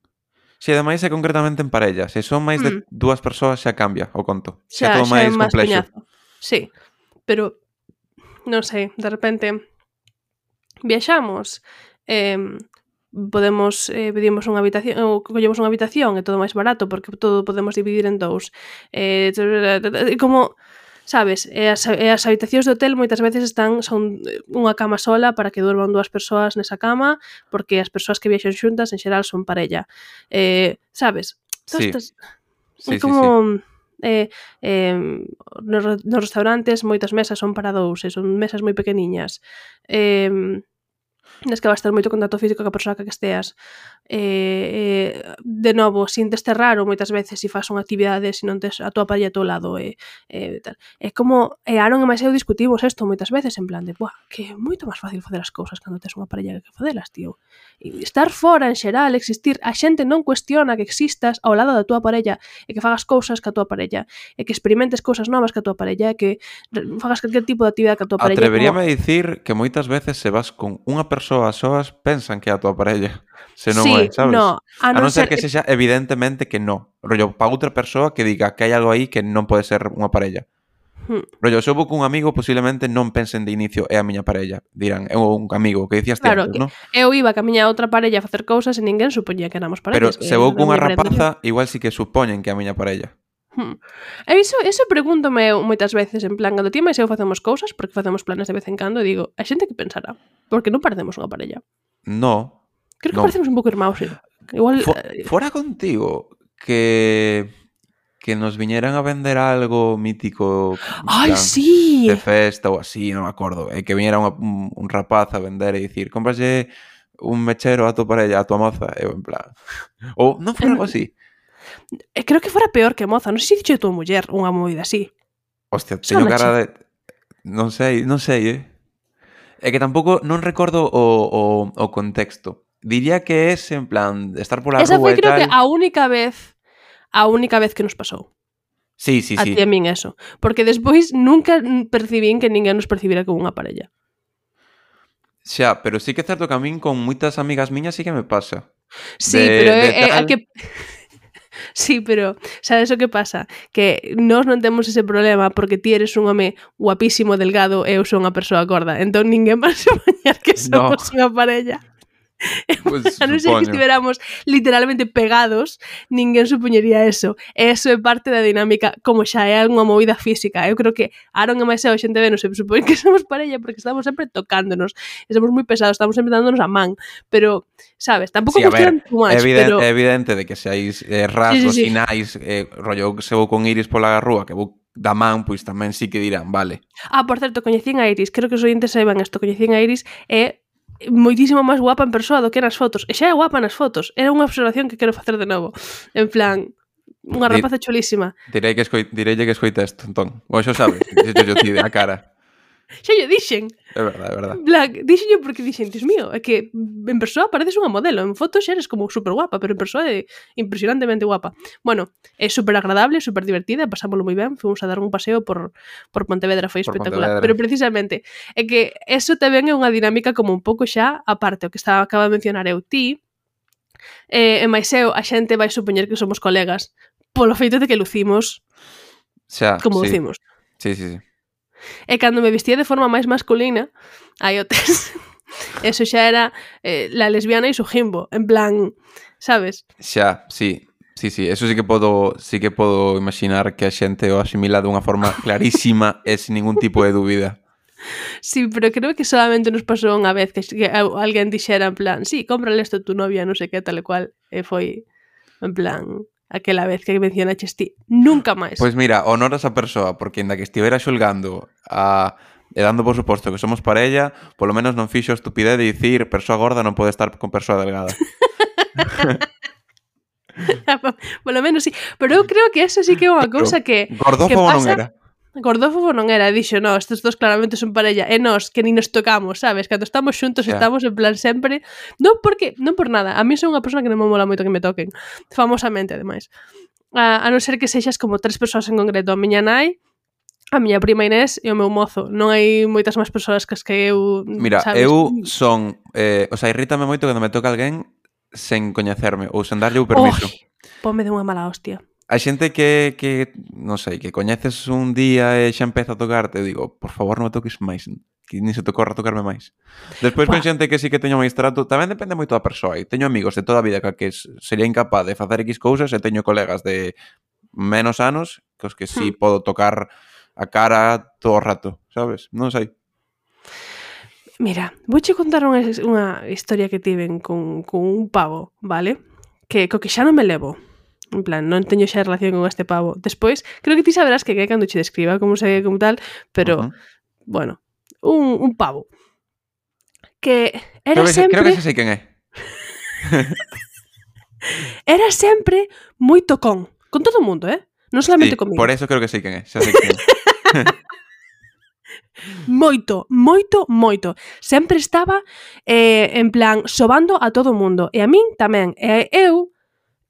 Se ademais é concretamente en parellas, se son máis de Mm. dúas persoas xa cambia o conto. Xa, Xa, todo xa é máis máis complexo. coñazo. Sí, pero non sei, de repente viaxamos, eh, podemos eh, pedimos unha habitación ou collemos unha habitación e todo máis barato porque todo podemos dividir en dous. Eh, como sabes, e as, e as habitacións de hotel moitas veces están son unha cama sola para que durman dúas persoas nesa cama, porque as persoas que viaxan xuntas en xeral son parella. Eh, sabes? Sí. Estas, Sí, é sí, como sí. eh, eh, nos, nos restaurantes moitas mesas son para dous, e son mesas moi pequeniñas. Eh, nes que vas ter moito contacto físico ca persoa que esteas. Eh, eh, de novo, sintes ter raro moitas veces se faz unha actividade se non tes a tua parella ao teu lado e, e tal. É como, e Aaron e máis eu discutimos isto moitas veces en plan de, buah, que é moito máis fácil facer as cousas cando tes unha parella que facelas, tío. E estar fora en xeral, existir, a xente non cuestiona que existas ao lado da tua parella e que fagas cousas ca tua parella e que experimentes cousas novas ca tua parella e que fagas calquer tipo de actividade ca tua parella. Atreveríame como... a dicir que moitas veces se vas con unha persoa a soas pensan que é a tua parella. Se non sí, é, sabes? No, a, a non ser ser que sexa evidentemente que non. Rollo, para outra persoa que diga que hai algo aí que non pode ser unha parella. Hmm. Rollo, se eu vou cun amigo, posiblemente non pensen de inicio é a miña parella. Dirán, é un amigo, que dicías Claro, antes, que non? eu iba ca miña outra parella a facer cousas e ninguén supoñía que éramos Pero parellas. se vou cunha rapaza, igual sí que supoñen que é a miña parella. Hmm. E iso, iso pregúntome eu moitas veces, en plan, cando ti máis eu facemos cousas, porque facemos planes de vez en cando, e digo, a xente que pensará? Porque non parecemos unha parella. No, Creo que non. parecemos un pouco irmãos, eh. Igual... Fo- eh, fora contigo que que nos viñeran a vender algo mítico en Ai, plan, sí! de festa ou así, non me acordo, e que viñera unha, un, un rapaz a vender e dicir, cómprase un mechero a tua parella, a tua moza, eu en plan, ou non fora algo así. E creo que fora peor que moza, non sei se dixo tua muller unha movida así. Hostia, teño Sónache. cara de... Non sei, non sei, eh? É que tampouco non recordo o, o, o contexto. Diría que é en plan de estar pola Esa rúa foi e creo tal. que a única vez a única vez que nos pasou. Sí, sí, A sí. ti e a min eso. Porque despois nunca percibín que ninguén nos percibira como unha parella. Xa, pero sí que é certo que a min con moitas amigas miñas sí que me pasa. Sí, De- pero de é, é a tal- que... Sí, pero sabes o que pasa? Que nós non temos ese problema porque ti eres un home guapísimo, delgado e eu sou unha persoa gorda. Entón ninguén vai supoñer que No. somos unha parella. Pues, A non ser que supoño. estiveramos literalmente pegados, ninguén supoñería eso. E eso é parte da dinámica, como xa é unha movida física. Eu creo que Aaron e Maiseo, a xente ve, non se supón que somos parella porque estamos sempre tocándonos. E somos moi pesados, estamos sempre dándonos a man. Pero, sabes, tampouco Sí, a nos ver, tiran too much, é evidente, pero... é evidente de que se hai eh, rasgos, Sí, sí, sí. sinais, eh, rollo, se vou con Iris pola rúa, que vou da man, pois tamén sí que dirán, vale. Ah, por certo, coñecín a Iris. Creo que os ointes saiban isto. Coñecín a Iris e moitísimo máis guapa en persoa do que nas fotos. E xa é guapa nas fotos. Era unha observación que quero facer de novo. En plan, unha Di- rapaza chulísima. Direi que escoi, direille que escoita isto, entón. O xo sabes, dixo yo ti a cara. Xa yo dixen. É verdade, é verdade. En plan, dixen porque dixen, Dios mío, é que en persoa pareces unha modelo. En fotos xa eres como super guapa, pero en persoa é impresionantemente guapa. Bueno, é super agradable, super divertida, pasámoslo moi ben. Fomos a dar un paseo por, por Pontevedra, foi Por espectacular. Pontevedra. Pero precisamente, é que eso tamén é unha dinámica como un pouco xa aparte, o que estaba acaba de mencionar eu ti, eh, e máis eu, a xente vai supoñer que somos colegas polo feito de que lucimos Xa, como sí. lucimos. Sí, sí, sí. E cando me vestía de forma máis masculina, aí o tes. Eso xa era eh, la lesbiana e su jimbo, en plan, sabes? Xa, sí. Sí, sí, eso sí que podo, sí que podo imaginar que a xente o asimila dunha forma clarísima e sin ningún tipo de dúbida. Sí, pero creo que solamente nos pasou unha vez que, que alguén dixera en plan, sí, cómprale isto a tu novia, non sei que, tal e cual, e foi en plan aquela vez que mencionaches ti. Nunca máis. Pois mira, honor a esa persoa, porque ainda que estivera xulgando a, e dando por suposto que somos parella, polo menos non fixo a estupidez de dicir persoa gorda non pode estar con persoa delgada. Polo menos sí. Pero eu creo que eso sí que é unha cousa que Gordófobo que non pasa... era. Gordófobo non era, dixo, no, estes dos claramente son parella, e nós, que ni nos tocamos, sabes? Cando estamos xuntos, Xa. estamos en plan sempre, non porque, non por nada, a mí son unha persona que non me mola moito que me toquen, famosamente, ademais. A, a non ser que sexas como tres persoas en concreto, a miña nai, a miña prima Inés e o meu mozo. Non hai moitas máis persoas que as que eu, Mira, sabes? eu son, eh, o sea, irrítame moito cando me toca alguén sen coñecerme ou sen darlle o permiso. Oi, ponme de unha mala hostia. A xente que, que, non sei, que coñeces un día e xa empeza a tocarte, eu digo, por favor, non me toques máis, que ni se te corra tocarme máis. Despois con Buah. xente que sí que teño máis trato, tamén depende moito da persoa. E teño amigos de toda a vida que, que sería incapaz de facer X cousas e teño colegas de menos anos que os que sí Hmm. podo tocar a cara todo o rato, sabes? Non sei. Mira, vouche contar unha, unha historia que tiven con, con un pavo, vale? Que co que xa non me levo. En plan, non teño xa relación con este pavo. Despois, creo que ti saberás que é cando che describa como se como tal, pero, Uh-huh. bueno, un, un pavo. Que Creo era que, sempre... creo que xa sei quen é. Era sempre moi tocón. Con todo o mundo, eh? Non solamente Sí, comigo. por eso creo que sei quen é. Xa sei quen é. Moito, moito, moito. Sempre estaba eh, en plan sobando a todo o mundo. E a min tamén. E eu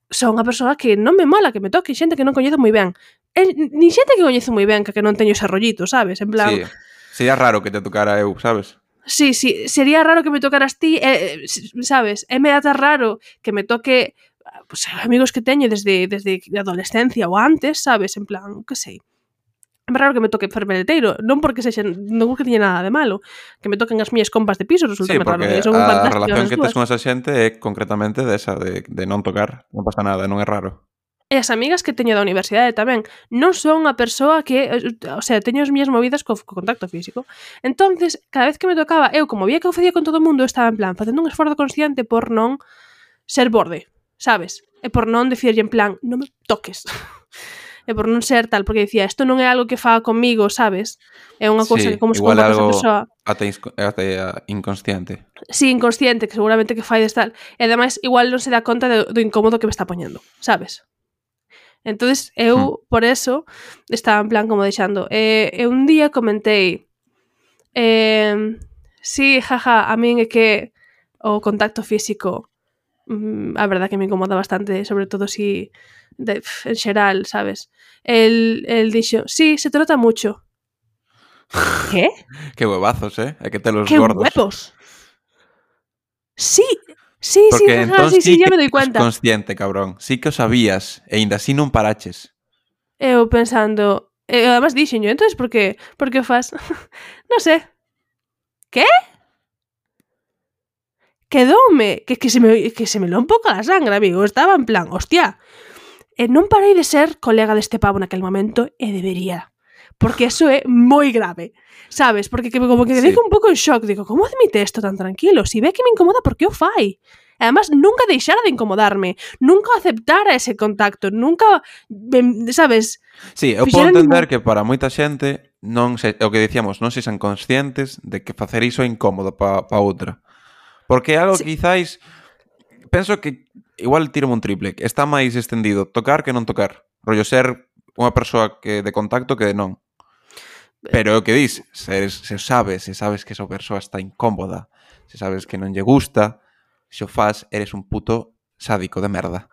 son unha persoa que non me mola que me toque xente que non coñezo moi ben. E, ni xente que coñezo moi ben que, que non teño ese rollito, sabes? En plan, Sí, sería raro que te tocara eu, sabes? sí, sí, sería raro que me tocaras ti, eh, sabes? É me ata raro que me toque pues, amigos que teño desde, desde a adolescencia ou antes, sabes? En plan, que sei. É raro que me toque fermeleteiro, non porque sexa, non porque teña nada de malo, que me toquen as miñas compas de piso, resulta Sí, raro, porque que son a fantásticas relación as que tes dúas. con esa xente é concretamente desa, de, de non tocar. Non pasa nada, non é raro. E as amigas que teño da universidade tamén non son unha persoa que, o sea, teño as miñas movidas co, co contacto físico. Entonces, cada vez que me tocaba, eu como vía que o facía con todo o mundo, estaba en plan facendo un esforzo consciente por non ser borde, sabes? E por non dicirlle en plan, non me toques. E por non ser tal, porque dicía, isto non é algo que faga comigo, sabes? É unha cousa Sí, que como se igual comporta esa algo persoa. ata, insco- ata inconsciente. Sí, inconsciente, que seguramente que fai de tal. E ademais, igual non se dá conta do, do incómodo que me está poñendo, sabes? Entonces eu, Hmm. por eso, estaba en plan como deixando. E, e un día comentei, eh, sí, jaja, a min é que o contacto físico, mm, a verdad que me incomoda bastante, sobre todo si, de, pf, en xeral, sabes? El, el dixo, sí, se te nota mucho. ¿Qué? Que huevazos, eh? Hai que ter los ¡Qué gordos. huevos! Sí, sí, Porque sí, jaja, entón sí, sí, sí ya que me doy eras cuenta. consciente, cabrón. Sí que o sabías, e ainda así non paraches. Eu pensando, e además dixenyo, entonces por que, por que o fas? Non sé. ¿Qué? Quedoume, que, que, se me, que se me lo un pouco a sangre, amigo. Estaba en plan, hostia, e non parei de ser colega deste pavo naquel momento e debería. Porque eso é moi grave, sabes? Porque que, como que me Sí. digo un pouco en shock. Digo, como admite isto tan tranquilo? Si ve que me incomoda, por que o fai? Además, nunca deixara de incomodarme. Nunca aceptara ese contacto. Nunca, sabes? Sí, eu podo entender que para moita xente non se, o que dicíamos, non sexan conscientes de que facer iso é incómodo para pa outra. Porque é algo Sí. que quizáis penso que igual tiro un triple, que está máis extendido tocar que non tocar. Rollo ser unha persoa que de contacto que de non. Pero o que dis, se, se sabes, se sabes que esa persoa está incómoda, se sabes que non lle gusta, se o faz, eres un puto sádico de merda.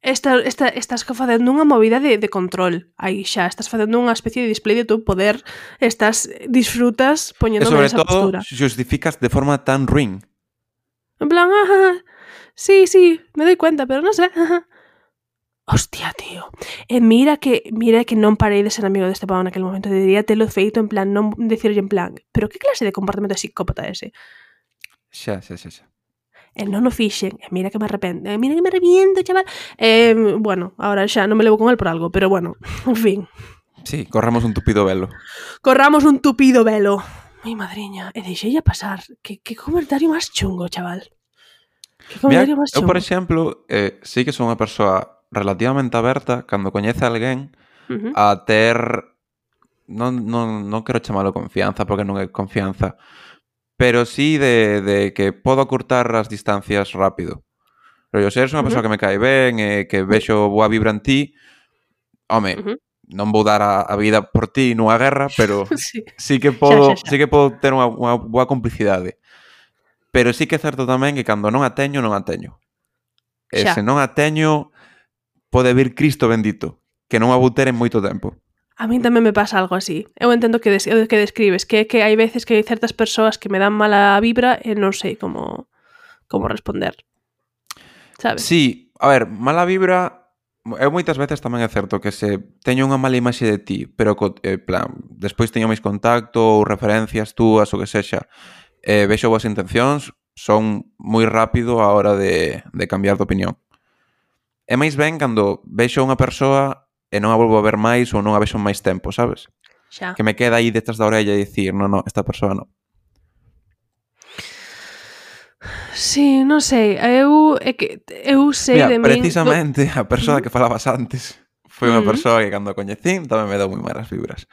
Esta, esta, estás facendo unha movida de, de control. Aí xa, estás facendo unha especie de display de tu poder. Estás, disfrutas E poñéndome sobre esa todo, postura. justificas de forma tan ruin. En plan, ajá, sí, sí, me doy cuenta, pero no sé. Ajá. Hostia, tío. E mira que mira que non parei de ser amigo deste pavo naquel momento. Debería telo feito en plan, non decirlle en plan, pero que clase de comportamento psicópata é ese? Xa, xa, xa, xa. E non o fixen, e mira que me arrependo, e mira que me arrepiento, chaval. Eh, bueno, ahora xa non me levo con el por algo, pero bueno, en fin. Sí, corramos un tupido velo. Corramos un tupido velo. Mi madriña, e deixei a pasar. Que, que comentario máis chungo, chaval. Que comentario Mira, máis eu, chungo. por exemplo, eh, sí que son unha persoa relativamente aberta cando coñece a alguén Uh -huh. a ter... Non, non, non quero chamalo confianza, porque non é confianza, pero sí de, de que podo cortar as distancias rápido. Pero se eres unha Uh -huh. persoa que me cae ben e que vexo boa vibra en ti, home, Uh -huh. non vou dar a, a vida por ti nunha guerra, pero Sí. sí que podo, Xa, xa, xa. sí que podo ter unha, unha boa complicidade. Pero sí que é certo tamén que cando non a teño, non a teño. E Xa. se non a teño, pode vir Cristo bendito, que non a vou ter en moito tempo. A min tamén me pasa algo así. Eu entendo que, des que describes, que que hai veces que hai certas persoas que me dan mala vibra e non sei como como responder. Sabes? Sí, a ver, mala vibra... Eu moitas veces tamén é certo que se teño unha mala imaxe de ti, pero co, eh, plan, despois teño máis contacto ou referencias túas ou que sexa, eh, vexo boas intencións, son moi rápido a hora de, de cambiar de opinión. É máis ben cando vexo unha persoa e non a volvo a ver máis ou non a vexo máis tempo, sabes? Xa. Que me queda aí detrás da orella e dicir, no, no, esta persoa non. Sí, non sei, eu é que eu sei Mira, de min. precisamente a persoa que falabas antes foi unha Mm. persoa que cando a coñecín tamén me deu moi malas vibras.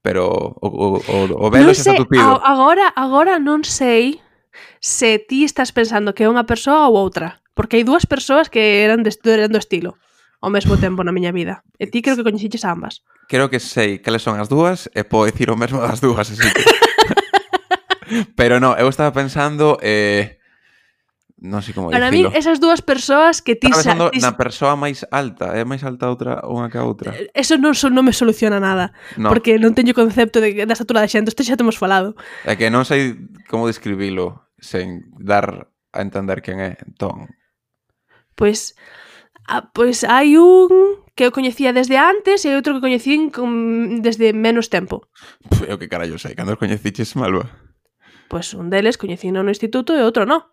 Pero o, o, o, o velo Non xa está sei, tupido. a- agora, agora non sei se ti estás pensando que é unha persoa ou outra, porque hai dúas persoas que eran, de, eran do estilo ao mesmo tempo na miña vida. E ti creo que coñeciches a ambas. Creo que sei cales son as dúas e podo dicir o mesmo das dúas, así que... Pero no, eu estaba pensando eh, non sei como Para mí, dicilo. esas dúas persoas que ti... Estaba pensando sa- ti na persoa máis alta. É máis alta outra unha que a outra? eso non, so, non me soluciona nada, No, porque non teño concepto de, da estatura da xente, isto xa temos falado. é que non sei como describilo sen dar a entender quen é. Entón, Pois, ah, pois hai un que eu coñecía desde antes e outro que coñecín con, desde menos tempo. pff, eu que carallo sei, cando os coñeciches, Malva? Pois un deles coñecín no instituto e outro non.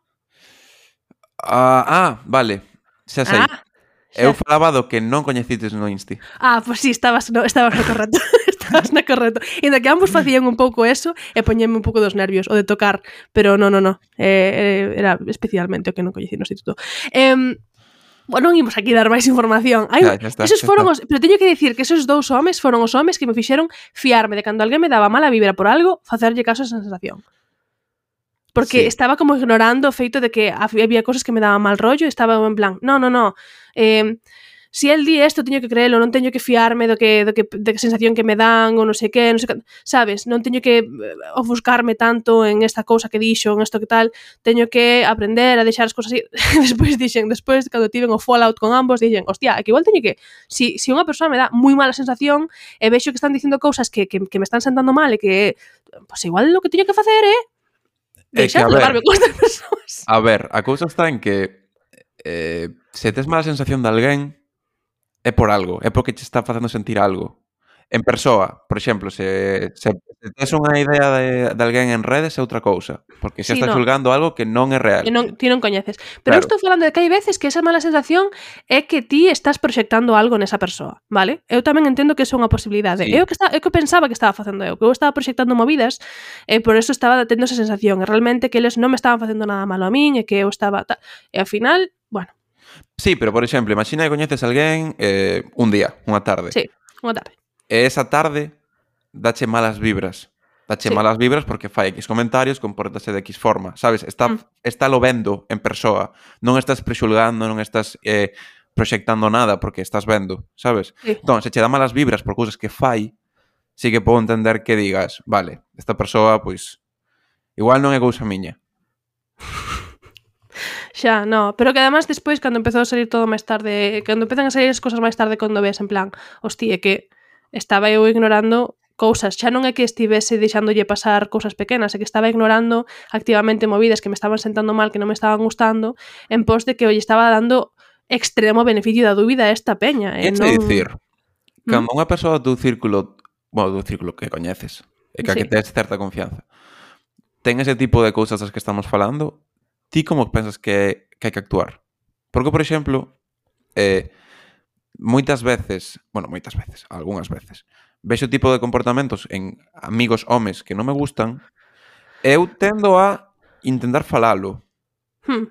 Ah, ah, vale, xa sei. Ah, Eu falaba do que non coñecites no Insti. Ah, pois pues sí, estabas no, estabas no correcto. Estabas no correcto. Inda que ambos facían un pouco eso e poñeme un pouco dos nervios, o de tocar, pero no, no, no. Eh, era especialmente o que non coñecí no instituto. Eh, bueno, non imos aquí dar máis información. Hai, Ya, ya está, esos ya foron está. os, pero teño que dicir que esos dous homes foron os homes que me fixeron fiarme de cando alguén me daba mala vibra por algo, facerlle caso a esa sensación. Porque Sí. estaba como ignorando o feito de que había cosas que me daban mal rollo e estaba en plan, no, no, no, eh, si el di isto teño que creelo, non teño que fiarme do que, do que, de que sensación que me dan ou non sei que, non sei que, sabes, non teño que ofuscarme tanto en esta cousa que dixo, en isto que tal, teño que aprender a deixar as cousas así. Despois dixen, despois cando tiven o fallout con ambos, dixen, hostia, é que igual teño que, si, si unha persoa me dá moi mala sensación e vexo que están dicindo cousas que, que, que me están sentando mal e que, pues igual o que teño que facer é deixar de levarme con estas persoas. A ver, a cousa está en que eh, se tes mala sensación de alguén é por algo, é porque te está facendo sentir algo. En persoa, por exemplo, se, se, se tes unha idea de, de alguén en redes é outra cousa, porque xa Sí, estás no. xulgando algo que non é real. Que non, ti non coñeces. Pero Claro. eu estou falando de que hai veces que esa mala sensación é que ti estás proxectando algo nesa persoa, vale? Eu tamén entendo que iso é unha posibilidade. Sí. Eu que, está, eu que pensaba que estaba facendo eu, que eu estaba proxectando movidas e por eso estaba tendo esa sensación. E realmente que eles non me estaban facendo nada malo a min e que eu estaba... Ta... E ao final, bueno... Sí, pero por exemplo, imagina que coñeces a alguén eh, un día, unha tarde. Sí, unha tarde. E esa tarde dache malas vibras. Dache Sí. malas vibras porque fai X comentarios, comportase de X forma, sabes? Está, Mm. está lo vendo en persoa. Non estás prexulgando, non estás eh, proxectando nada porque estás vendo, sabes? Sí. Entón, se che dá malas vibras por cousas que fai, sí que podo entender que digas, vale, esta persoa, pois, igual non é cousa miña. Xa, no, pero que además despois cando empezou a salir todo máis tarde, cando empezan a salir as cosas máis tarde cando ves en plan, hostia, é que estaba eu ignorando cousas, xa non é que estivese deixándolle pasar cousas pequenas, é que estaba ignorando activamente movidas que me estaban sentando mal, que non me estaban gustando, en pos de que eu lle estaba dando extremo beneficio da dúbida a esta peña. É E non... non... dicir, ¿Mm? cando unha persoa do círculo, bueno, do círculo que coñeces, e que a Sí. que tes certa confianza, ten ese tipo de cousas das que estamos falando, ti como pensas que, que hai que actuar? Porque, por exemplo, eh, moitas veces, bueno, moitas veces, algunhas veces, vexo tipo de comportamentos en amigos homes que non me gustan, e eu tendo a intentar falalo. Hmm.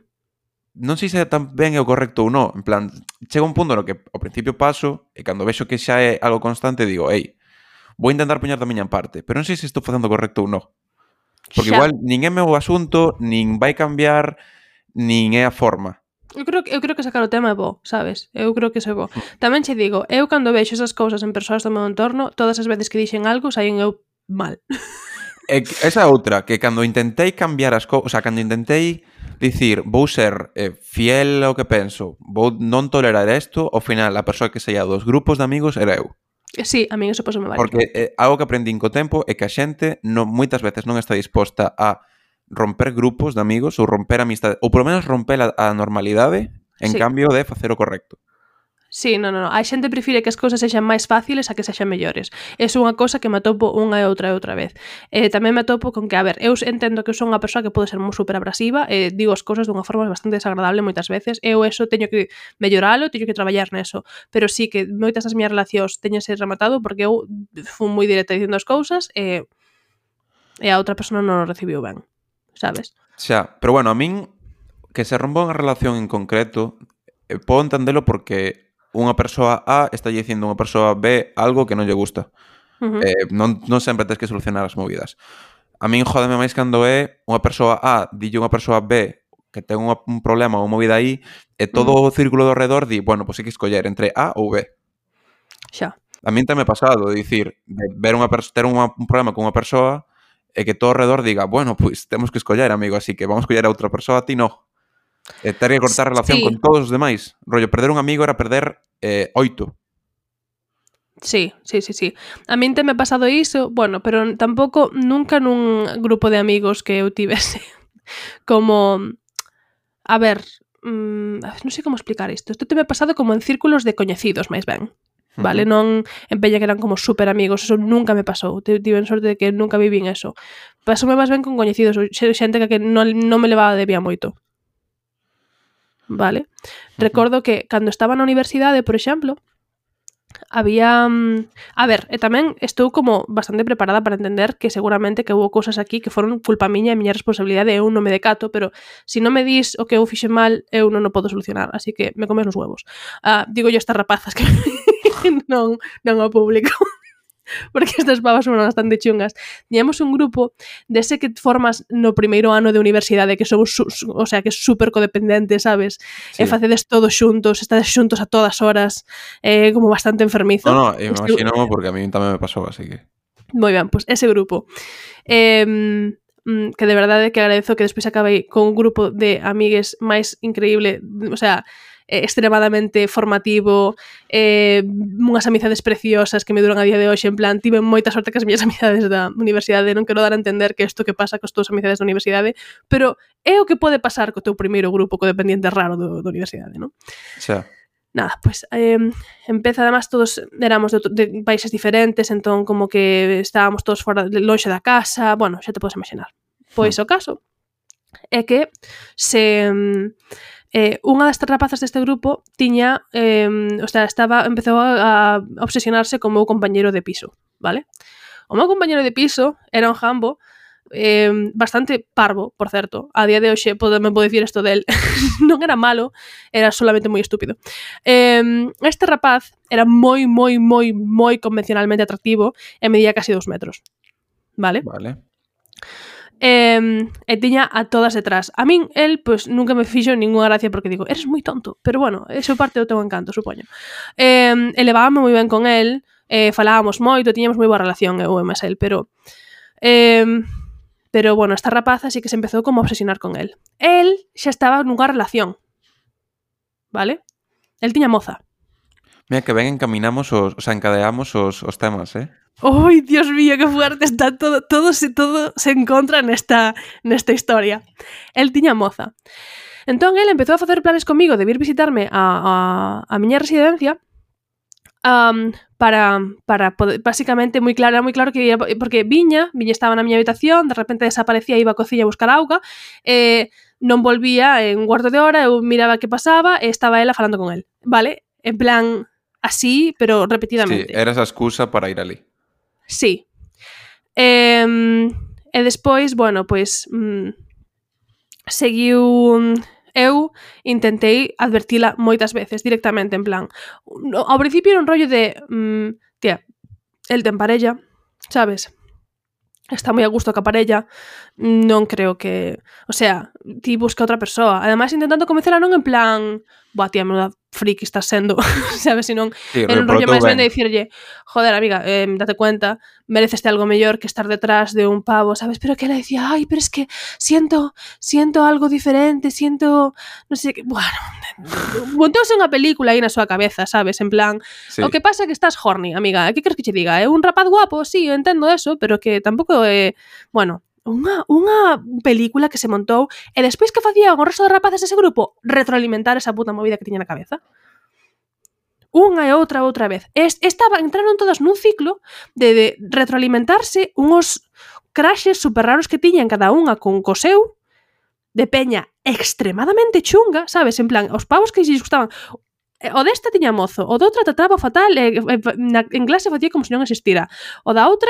Non sei se tamén é o correcto ou non. En plan, chega un punto no que ao principio paso e cando vexo que xa é algo constante digo, ei, vou intentar poñer da miña parte, pero non sei se estou facendo correcto ou non. Porque Xa. igual nin é meu asunto, nin vai cambiar, nin é a forma. Eu creo, que- eu creo que sacar o tema é bo, sabes? Eu creo que iso é bo. Tamén che digo, eu cando vexo esas cousas en persoas do meu entorno, todas as veces que dixen algo, saín eu mal. E esa outra, que cando intentei cambiar as cousas, o sea, cando intentei dicir, vou ser eh, fiel ao que penso, vou non tolerar isto, ao final a persoa que saía dos grupos de amigos era eu. Sí, a min eso pasou me vale. Porque eh, algo que aprendín co tempo é que a xente non, moitas veces non está disposta a romper grupos de amigos ou romper amistade, ou polo menos romper a, a normalidade en Sí. cambio de facer o correcto. Sí, non, non, non. A xente prefire que as cousas sexan máis fáciles a que sexan mellores. É unha cosa que me atopo unha e outra e outra vez. Eh, tamén me atopo con que, a ver, eu entendo que eu son unha persoa que pode ser moi super abrasiva e eh, digo as cousas dunha forma bastante desagradable moitas veces. Eu eso teño que melloralo, teño que traballar neso. Pero sí que moitas das miñas relacións teñense rematado porque eu fui moi directa dicindo as cousas e, e a outra persona non o recibiu ben, sabes? Xa, pero bueno, a min que se rompa unha relación en concreto eh, podo entendelo porque unha persoa A está dicindo a unha persoa B algo que non lle gusta. Uh -huh. Eh, non, non sempre tens que solucionar as movidas. A min jódeme máis cando é unha persoa A dille unha persoa B que ten unha, un problema ou movida aí e todo Uh -huh. o círculo do redor di, bueno, pois pues hai que escoller entre A ou B. Xa. A min tamén me pasado, de dicir, de ver unha ter unha, un problema con unha persoa e que todo o redor diga, bueno, pois pues, temos que escoller, amigo, así que vamos a escoller a outra persoa, a ti no. E ter que cortar relación Sí. con todos os demais. Rollo, perder un amigo era perder eh, oito. Sí, sí, sí, sí. A min te me pasado iso, bueno, pero tampouco nunca nun grupo de amigos que eu tivese como, a ver, mmm, non sei como explicar isto. Isto te me pasado como en círculos de coñecidos, máis ben. Vale, Uh-huh. non en peña que eran como super amigos, eso nunca me pasou. Tiven sorte de que nunca vivín eso. Pasoume máis ben con coñecidos, xente que non, non me levaba de vía moito. vale? Recordo que cando estaba na universidade, por exemplo, había... A ver, e tamén estou como bastante preparada para entender que seguramente que houve cousas aquí que foron culpa miña e miña responsabilidade, eu non me decato, pero se non me dis o que eu fixe mal, eu non o podo solucionar, así que me comes os huevos. Ah, digo yo estas rapazas que non, non o público, porque estas pavas son bastante chungas. Tiñamos un grupo dese que formas no primeiro ano de universidade, que somos, o sea, que é super codependente, sabes? Sí. E facedes todos xuntos, estades xuntos a todas horas, é eh, como bastante enfermizo. No, no, imagino porque a mí tamén me pasou, así que... Moi ben, pois pues ese grupo. Eh, que de verdade que agradezo que despois acabei con un grupo de amigues máis increíble, o sea... extremadamente formativo, eh, unhas amizades preciosas que me duran a día de hoxe, en plan, tive moita sorte que as miñas amizades da universidade, non quero dar a entender que isto que pasa cos teus amizades da universidade, pero é o que pode pasar co teu primeiro grupo codependiente raro do, da universidade, non? Xa. Nada, pois pues, eh, empeza, además, todos éramos de, de países diferentes, entón como que estábamos todos fora, lonxe da casa, bueno, xa te podes imaginar. Pois hmm. o caso é que se... Eh, unha destas rapazas deste grupo tiña, eh, o sea, estaba, empezou a, a obsesionarse con o meu compañeiro de piso, vale? O meu compañeiro de piso era un jambo eh, bastante parvo, por certo. A día de hoxe me podo dicir isto del. Non era malo, era solamente moi estúpido. Eh, este rapaz era moi, moi, moi, moi convencionalmente atractivo e medía casi dos metros, vale? Vale. Eh, e tiña a todas detrás. A min, el, pois, nunca me fixo ninguna gracia porque digo, eres moi tonto, pero bueno, eso parte do teu encanto, supoño. Eh, elevábame moi ben con el, eh, falábamos moito, tiñamos moi boa relación, eu e máis el, pero eh, pero, bueno, esta rapaza sí que se empezou como a obsesionar con el. El xa estaba nunha relación, vale? El tiña moza. Mira, que ben encaminamos os, o sea, encadeamos os, os temas, eh? ¡Ay, Dios mío, qué fuerte! Está todo, todo, se, todo se encontra nesta, nesta historia. El tiña moza. Entón, el empezou a facer planes comigo de vir visitarme a, a, a miña residencia um, para, para poder, básicamente, moi claro, era moi claro que ia, porque viña, viña estaba na miña habitación, de repente desaparecía, iba á cociña a buscar auga, e non volvía en un cuarto de hora, eu miraba que pasaba e estaba ela falando con el, vale? En plan, así, pero repetidamente. Sí, era esa excusa para ir ali. Sí. E, e despois, bueno, pois mm, seguiu... Eu intentei advertila moitas veces directamente, en plan, ao principio era un rollo de mm, tía, el ten parella, sabes? Está moi a gusto ca parella, non creo que... O sea, ti busca outra persoa. Ademais, intentando convencela non en plan... Boa, tía, menuda friki estás sendo, sabes? Senón, sí, era un rollo máis ben de dicirlle, joder, amiga, eh, date cuenta, mereceste algo mellor que estar detrás de un pavo, sabes? Pero que ela decía, ay, pero es que siento, siento algo diferente, siento... No sé qué... Bueno, montouse unha película aí na súa cabeza, sabes? En plan, sí. O que pasa é que estás horny, amiga. Que queres que che diga? É un rapaz guapo, sí, eu entendo eso, pero que tampouco é... Bueno... Unha, unha película que se montou e despois que facía o resto de rapaces dese grupo retroalimentar esa puta movida que tiña na cabeza. Unha e outra outra vez. Es, estaba, entraron todas nun ciclo de, de retroalimentarse unhos crashes super raros que tiñan cada unha con coseu de peña extremadamente chunga, sabes? En plan, os pavos que lles gustaban. O desta tiña mozo, o doutra trataba fatal e, e, na, en clase facía como se non existira. O da outra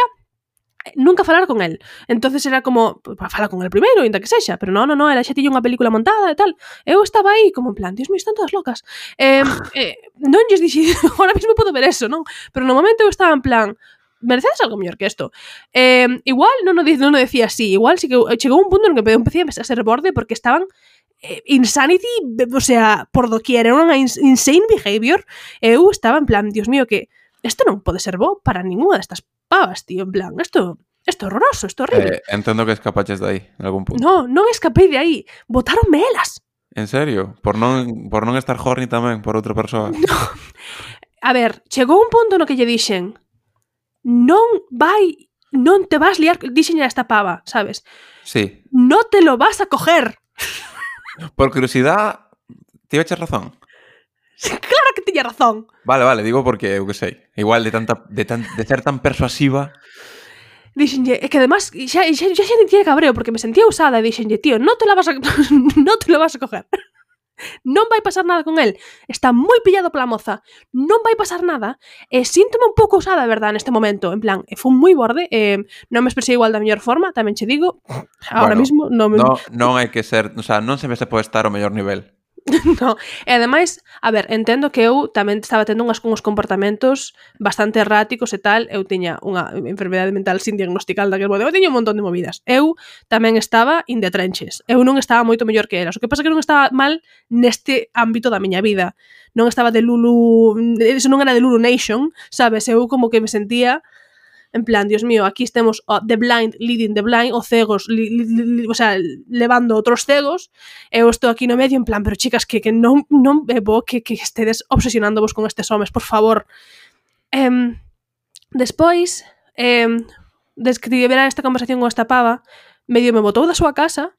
nunca falar con el. Entonces era como, para falar con el primeiro, ainda que sexa, pero non, non, non, ela xa tiña unha película montada e tal. Eu estaba aí como en plan, Dios mío, están todas locas. Eh, eh, non lles dixi, ahora mismo podo ver eso, non? Pero no momento eu estaba en plan, merecedes algo mellor que isto. Eh, igual non o, non o decía así, igual sí que chegou un punto en que empecé a ser borde porque estaban eh, insanity, o sea, por doquier, era unha insane behavior. Eu estaba en plan, Dios mío, que isto non pode ser bo para ninguna destas pavas, tío, en plan, isto, isto é horroroso, isto é horrible. Eh, entendo que escapaches de aí, en algún punto. No, non escapei de aí, botaronme elas. En serio? Por non, por non estar horny tamén por outra persoa? No. A ver, chegou un punto no que lle dixen, non vai, non te vas liar, dixenlle a esta pava, sabes? Sí. No te lo vas a coger. Por curiosidade, tiveches razón? Claro que tiña razón. Vale, vale, digo porque, eu que sei, igual de tanta de, tan, de ser tan persuasiva. Dixenlle, é que además xa, xa, xa, xa tiña cabreo porque me sentía usada e dixenlle, tío, no te la vas a no te lo vas a coger. non vai pasar nada con el, está moi pillado pola moza, non vai pasar nada, e síntome un pouco usada, a verdad, neste momento, en plan, e fun moi borde, eh, non me expresei igual da mellor forma, tamén che digo, ahora bueno, mismo non me... No, non hai que ser, o sea, non sempre se pode estar ao mellor nivel. No, e ademais, a ver, entendo que eu tamén estaba tendo unhas, uns comportamentos bastante erráticos e tal, eu tiña unha enfermedade mental sin diagnosticar daquel modo, eu tiña un montón de movidas, eu tamén estaba in the trenches, eu non estaba moito mellor que elas, o que pasa que non estaba mal neste ámbito da miña vida, non estaba de Lulu, eso non era de Lulu Nation, sabes, eu como que me sentía en plan, Dios mío, aquí estemos oh, the blind leading the blind, o cegos, li, li, li, o sea, levando outros cegos, eu estou aquí no medio en plan, pero chicas, que, que non, non é bo que, que estedes obsesionándovos con estes homes, por favor. Eh, despois, eh, des que tivera esta conversación con esta pava, medio me botou da súa casa,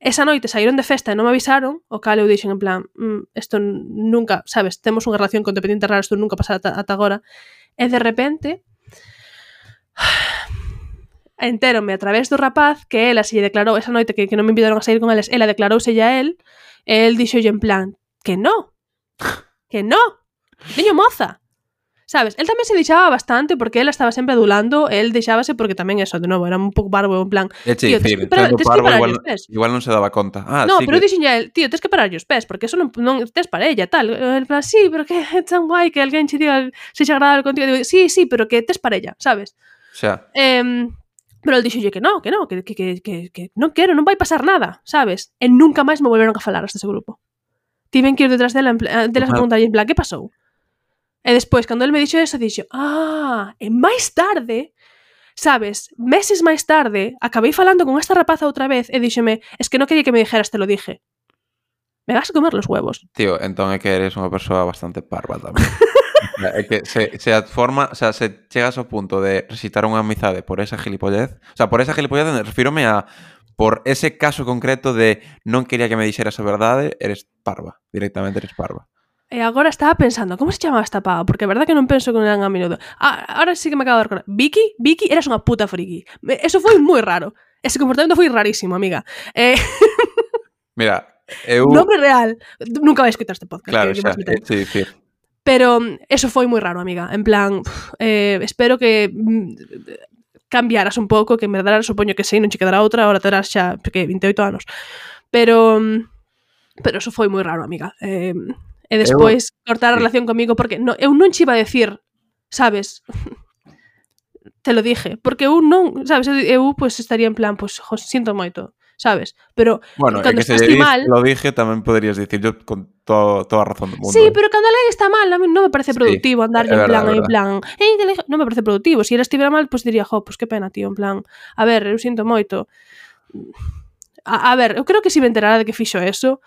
esa noite saíron de festa e non me avisaron, o cal eu dixen en plan, mm, esto nunca, sabes, temos unha relación con dependiente rara, isto nunca pasará ata, ata agora, e de repente... entérome a través do rapaz que ela se lle declarou esa noite que, que non me invitaron a sair con eles, ela declarouse a él, e el dixolle en plan, que no, que no, veño moza, sabes, el tamén se deixaba bastante porque ela estaba sempre adulando, el deixábase porque tamén eso, de novo, era un pouco barbo, en plan, Eche, tío, dicir, tes que parar, tes que parar igual, os pés. Igual non se daba conta. Ah, no, sí pero que... dixen a él, tío, tes que parar os pés, porque eso non, non tes parella, tal. En plan, sí, pero que é tan guai que alguén che diga se xa agradable contigo. Digo, sí, sí, pero que tes parella, sabes? O sea... Eh, pero el dixolle que no, que no, que, que, que, que, que non quero, non vai pasar nada, sabes? E nunca máis me volveron a falar hasta ese grupo. Tiven que ir detrás dela, delas a preguntarlle en plan, que pasou? E despois, cando el me dixo eso, dixo, ah, e máis tarde, sabes, meses máis tarde, acabei falando con esta rapaza outra vez e díxome, es que non quería que me dijeras, te lo dije. Me vas a comer los huevos. Tío, entón é que eres unha persoa bastante parva tamén. É que se, se a forma, o sea, se chegas ao punto de recitar unha amizade por esa gilipollez, o sea, por esa gilipollez refírome a por ese caso concreto de non quería que me dixeras a verdade, eres parva, directamente eres parva. E agora estaba pensando, como se chamaba esta pava? Porque a verdad que non penso que non a menudo. Ah, ahora sí que me acabo de recordar. Vicky, Vicky, eras unha puta friki. Eso foi moi raro. Ese comportamento foi rarísimo, amiga. Eh... Mira, eu... Nombre real. Nunca vais escutar este podcast. Claro, que, xa, que sí, sí. Pero eso foi moi raro, amiga. En plan, eh, espero que mm, cambiaras un pouco, que en verdade supoño que sei, non che quedará outra, ahora terás xa que vinte e oito anos. Pero pero eso foi moi raro, amiga. Eh, e despois eu... cortar a relación comigo porque no, eu non che iba a decir, sabes? Te lo dije, porque eu non, sabes, eu pues estaría en plan, pues, jo, sinto moito, sabes? Pero bueno, cando é que estás se mal, lo dije, tamén poderías dicir yo con todo, toda a razón do mundo. Sí, eh. pero cando alguén está mal, a mí non me parece productivo sí, andarlle en plan, en plan, eh, non me parece productivo. Se si ela estivera mal, pois pues diría, jo, pois pues que pena, tío, en plan, a ver, eu sinto moito. A, a ver, eu creo que se si me enterara de que fixo eso,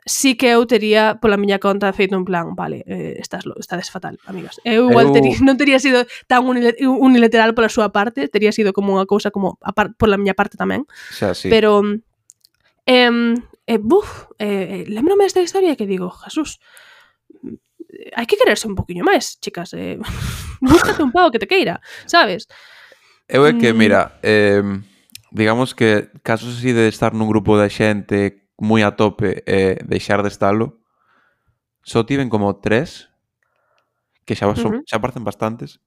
sí que eu tería pola miña conta feito un plan, vale, eh, estás, estades fatal, amigas. Eu igual eu... Tería, non tería sido tan unilateral pola súa parte, tería sido como unha cousa como a par, pola miña parte tamén. Xa, sí. Pero eh, eh, buf, eh, lembrome desta historia que digo, Jesús, hai que quererse un poquinho máis, chicas, eh, búscate un pavo que te queira, sabes? Eu é que, mira, eh, digamos que casos así de estar nun grupo de xente moi a tope e eh, deixar de estalo, só tiven como tres, que xa, son, uh -huh. xa parecen bastantes.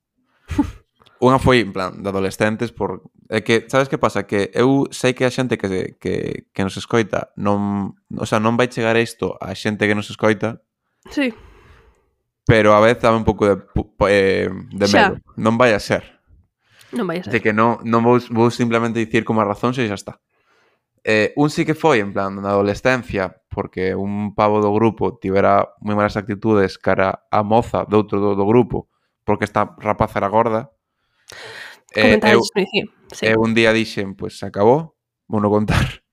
Unha foi, en plan, de adolescentes, por... É que, sabes que pasa? Que eu sei que a xente que, que, que nos escoita non... O sea, non vai chegar isto a xente que nos escoita. Sí. Pero a vez dame un pouco de, eh, de medo. Non vai a ser. Non vai a ser. De que non, non vou, vou simplemente dicir como a razón se xa está. Eh, un sí que foi, en plan, na adolescencia, porque un pavo do grupo tivera moi malas actitudes cara a moza do outro do, do grupo, porque esta rapaza era gorda. Eh, eu, sí. eu un día dixen, pois pues, se acabou, vou non contar.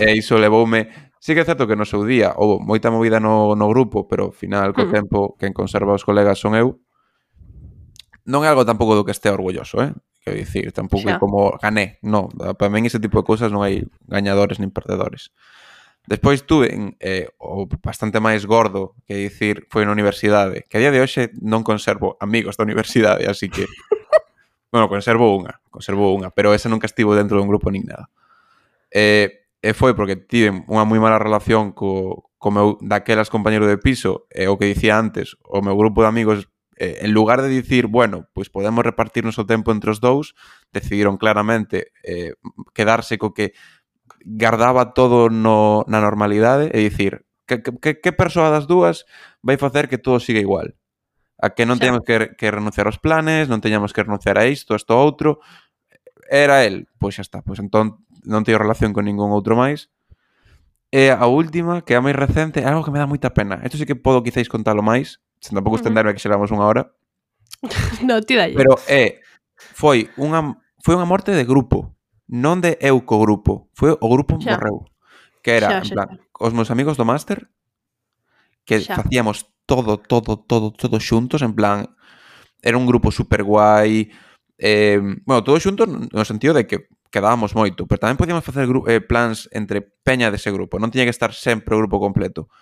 E iso levoume... Sí que é certo que no seu día houve moita movida no, no grupo, pero ao final, co mm. tempo, quen conserva os colegas son eu. Non é algo tampouco do que estea orgulloso, eh? Quero dicir, tampouco é como gané, non, para min ese tipo de cousas non hai gañadores nin perdedores. Despois tuve eh, o bastante máis gordo, que dicir, foi na universidade, que a día de hoxe non conservo amigos da universidade, así que bueno, conservo unha, conservo unha, pero esa nunca estivo dentro dun grupo nin nada. Eh, e foi porque tive unha moi mala relación co, co meu daquelas compañeiro de piso, e o que dicía antes, o meu grupo de amigos, eh, en lugar de dicir, bueno, pois podemos repartirnos o tempo entre os dous, decidiron claramente eh, quedarse co que guardaba todo no, na normalidade e dicir, que, que, que persoa das dúas vai facer que todo siga igual? A que non Xa. teñamos que, que renunciar aos planes, non teñamos que renunciar a isto, a isto outro. Era el, pois xa está, pois entón non teño relación con ningún outro máis. E a última, que é a máis recente, é algo que me dá moita pena. Isto sí que podo quizáis contalo máis, sen tampouco estenderme que xeramos unha hora. No, ti dalle. Pero é, foi unha foi unha morte de grupo, non de eu co grupo, foi o grupo Xa. morreu. Que era, Xa, en xa, plan, xa. os meus amigos do máster, que Xa. facíamos todo, todo, todo, todo xuntos, en plan, era un grupo super guai, eh, bueno, todos xuntos no sentido de que quedábamos moito, pero tamén podíamos facer eh, plans entre peña dese grupo, non tiña que estar sempre o grupo completo.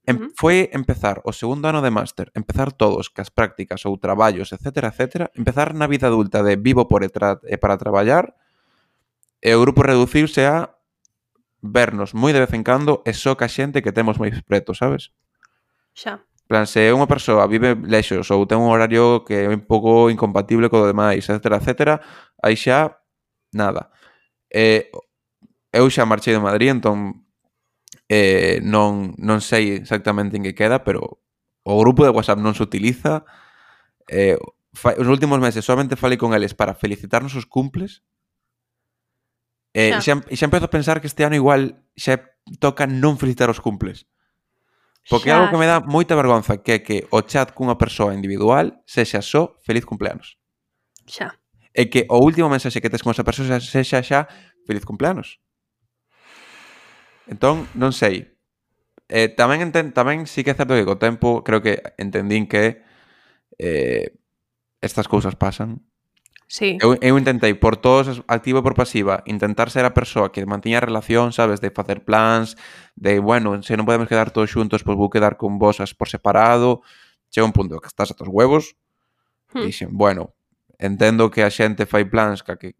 Em, Ujú. foi empezar o segundo ano de máster, empezar todos cas prácticas ou traballos, etcétera, etcétera, empezar na vida adulta de vivo por e, tra e para traballar, e o grupo reducirse a vernos moi de vez en cando e só ca xente que temos máis preto, sabes? Xa. Plan, se unha persoa vive lexos ou ten un horario que é un pouco incompatible co demais, etcétera, etcétera, aí xa nada. Eh, eu xa marchei de Madrid, entón eh, non, non sei exactamente en que queda, pero o grupo de WhatsApp non se utiliza. Eh, fa, os últimos meses solamente falei con eles para felicitarnos os cumples. E Xa. xa, xa empezo a pensar que este ano igual xa toca non felicitar os cumples. Porque é algo Xa, que me dá moita vergonza, que é que o chat cunha persoa individual sexa só feliz cumpleanos. xa. E que o último mensaxe que tes con esa persoa sexa xa feliz cumpleanos. Entón, non sei. Eh, tamén enten, tamén sí que é certo que co tempo creo que entendín que eh, estas cousas pasan. Sí. Eu, eu intentei, por todos, activo e por pasiva, intentar ser a persoa que mantiña a relación, sabes, de facer plans, de, bueno, se non podemos quedar todos xuntos, pois vou quedar con vos por separado. Chega un punto que estás a tos huevos. Hmm. Dixen, bueno, entendo que a xente fai plans ca que,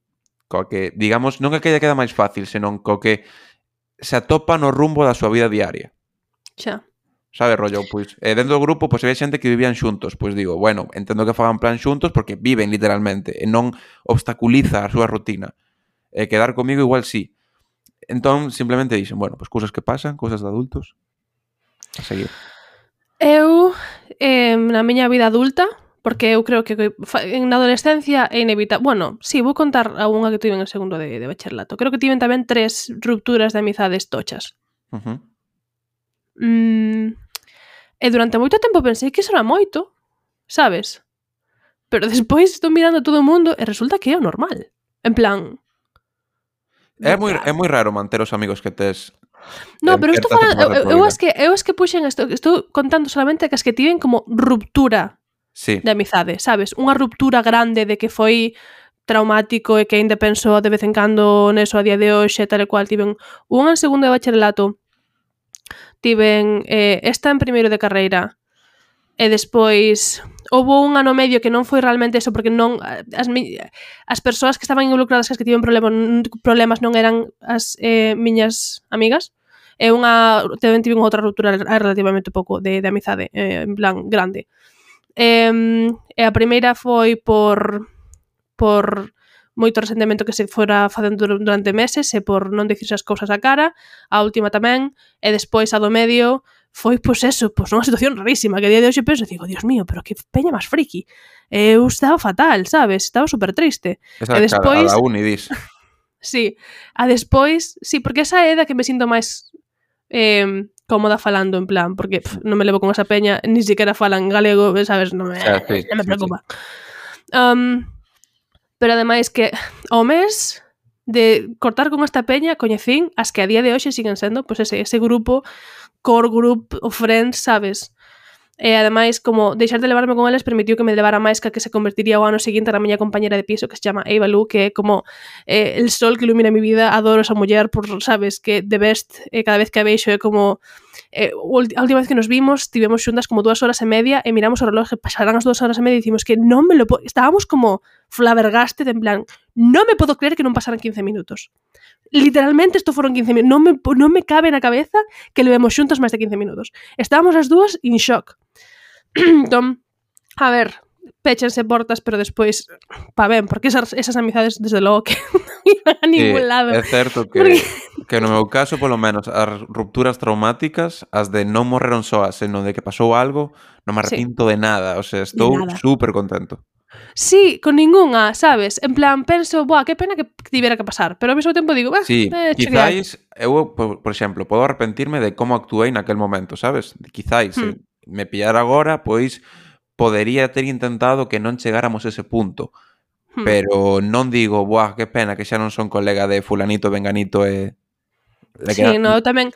ca que digamos, non que aquella queda máis fácil, senón co que se atopa no rumbo da súa vida diaria. Xa. Sabe, rollo, pois, eh, dentro do grupo, pois, había xente que vivían xuntos, pois digo, bueno, entendo que fagan plan xuntos porque viven literalmente e non obstaculiza a súa rutina. E quedar comigo igual sí. Entón, simplemente dixen, bueno, pois cousas que pasan, cousas de adultos. A seguir. Eu, eh, na miña vida adulta, porque eu creo que na adolescencia é inevitable. Bueno, sí, vou contar a unha que tiven en segundo de, de bacharelato. Creo que tiven tamén tres rupturas de amizades tochas. Uh-huh. Mm, e durante moito tempo pensei que iso era moito, sabes? Pero despois estou mirando a todo o mundo e resulta que é o normal. En plan... É moi, é moi raro manter os amigos que tes. No, pero estou falando, eu, eu, as que, eu as que puxen isto, estou contando solamente que as que tiven como ruptura sí. de amizade, sabes? Unha ruptura grande de que foi traumático e que ainda penso de vez en cando neso a día de hoxe, tal e cual. Tiven unha en segundo de bacharelato, tiven eh, esta en primeiro de carreira, e despois houve un ano medio que non foi realmente eso, porque non as, as persoas que estaban involucradas, as que tiven problemas, problemas non eran as eh, miñas amigas. E unha, tamén tive outra ruptura relativamente pouco de, de amizade, eh, en plan grande. E, e a primeira foi por por moito resentimento que se fora facendo durante meses e por non dicirse as cousas a cara. A última tamén, e despois a do medio foi, pois eso, pois unha situación rarísima, que a día de hoxe penso, digo, Dios mío, pero que peña máis friki. Eu estaba fatal, sabes? Estaba super triste. Esa e despois... a da uni, dis. Sí, a despois, sí, porque esa é da que me sinto máis eh, cómoda falando, en plan, porque pff, non me levo con esa peña, ni siquiera falan galego, sabes? Non me, Xa, sí, non me sí, preocupa. Sí. Um, pero ademais que ao mes de cortar con esta peña coñecín as que a día de hoxe siguen sendo pois ese, ese grupo, core group of friends, sabes? E ademais, como deixar de levarme con eles permitiu que me levara máis que a que se convertiría o ano seguinte na miña compañera de piso, que se chama Eva Lu, que é como eh, el sol que ilumina mi vida. Adoro esa muller, por, sabes, que the best, eh, cada vez que a veixo é como eh, a última vez que nos vimos tivemos xuntas como dúas horas e media e miramos o reloj, pasarán as dúas horas e media e dicimos que non me lo po... estábamos como flabbergasted, en plan, non me podo creer que non pasaran quince minutos. Literalmente isto foron quince minutos. Non me, non me cabe na cabeza que levemos xuntos máis de quince minutos. Estábamos as dúas in shock. Entón, a ver, péchense portas, pero despois, pa ben, porque esas, esas amizades, desde logo, que non iban a ningún Sí, lado. é certo que, Porque- que no meu caso, polo menos, as rupturas traumáticas, as de non morreron soas, senón de que pasou algo, non me Sí. arrepinto de nada. O sea, estou nada. super contento. Sí, con ningunha, sabes? En plan, penso, boa, que pena que tivera que pasar, pero ao mesmo tempo digo, bah, Sí, eh, chequear. quizáis, eu, por, por exemplo, podo arrepentirme de como actuei naquel momento, sabes? Quizáis, se Hmm. me pillara agora, pois podería ter intentado que non chegáramos a ese punto. Hmm. Pero non digo, buah, que pena que xa non son colega de fulanito, venganito e... de que Sí, na- no, eu tamén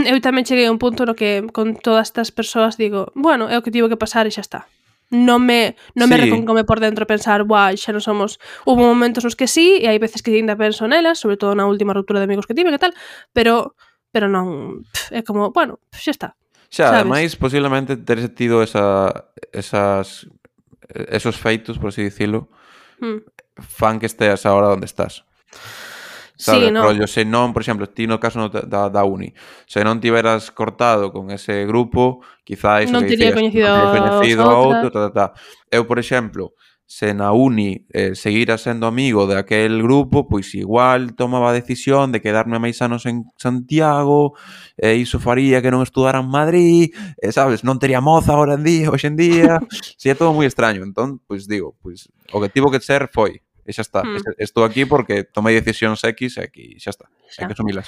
eu tamén cheguei a un punto no que con todas estas persoas digo, bueno, é o que tivo que pasar e xa está. Non me non me Sí. reconcome por dentro pensar, buah, xa non somos. Hubo momentos nos que sí, e hai veces que ainda penso nelas, sobre todo na última ruptura de amigos que tive, que tal, pero pero non, pff, é como, bueno, xa está. Xa, sabes? ademais, posiblemente teres tido esa, esas, esos feitos, por así dicilo, Hmm. fan que esteas agora onde estás. Sí, Sabes, no. rollo, se non, por exemplo, ti no caso no da, da uni, se non tiveras cortado con ese grupo, quizá iso Non que tería dicías, coñecido non terías coñecido aos a outras. outro, ta, ta, ta. Eu, por exemplo, se na uni eh, seguira sendo amigo de aquel grupo, pois igual tomaba a decisión de quedarme máis anos en Santiago, e iso faría que non estudara en Madrid, e, sabes, non tería moza ahora en día, hoxe en día, si é todo moi extraño. Entón, pois digo, pois o que tivo que ser foi, e xa está. Hmm. Estou aquí porque tomei decisións X e aquí xa está. Xa. Hai que asumilas.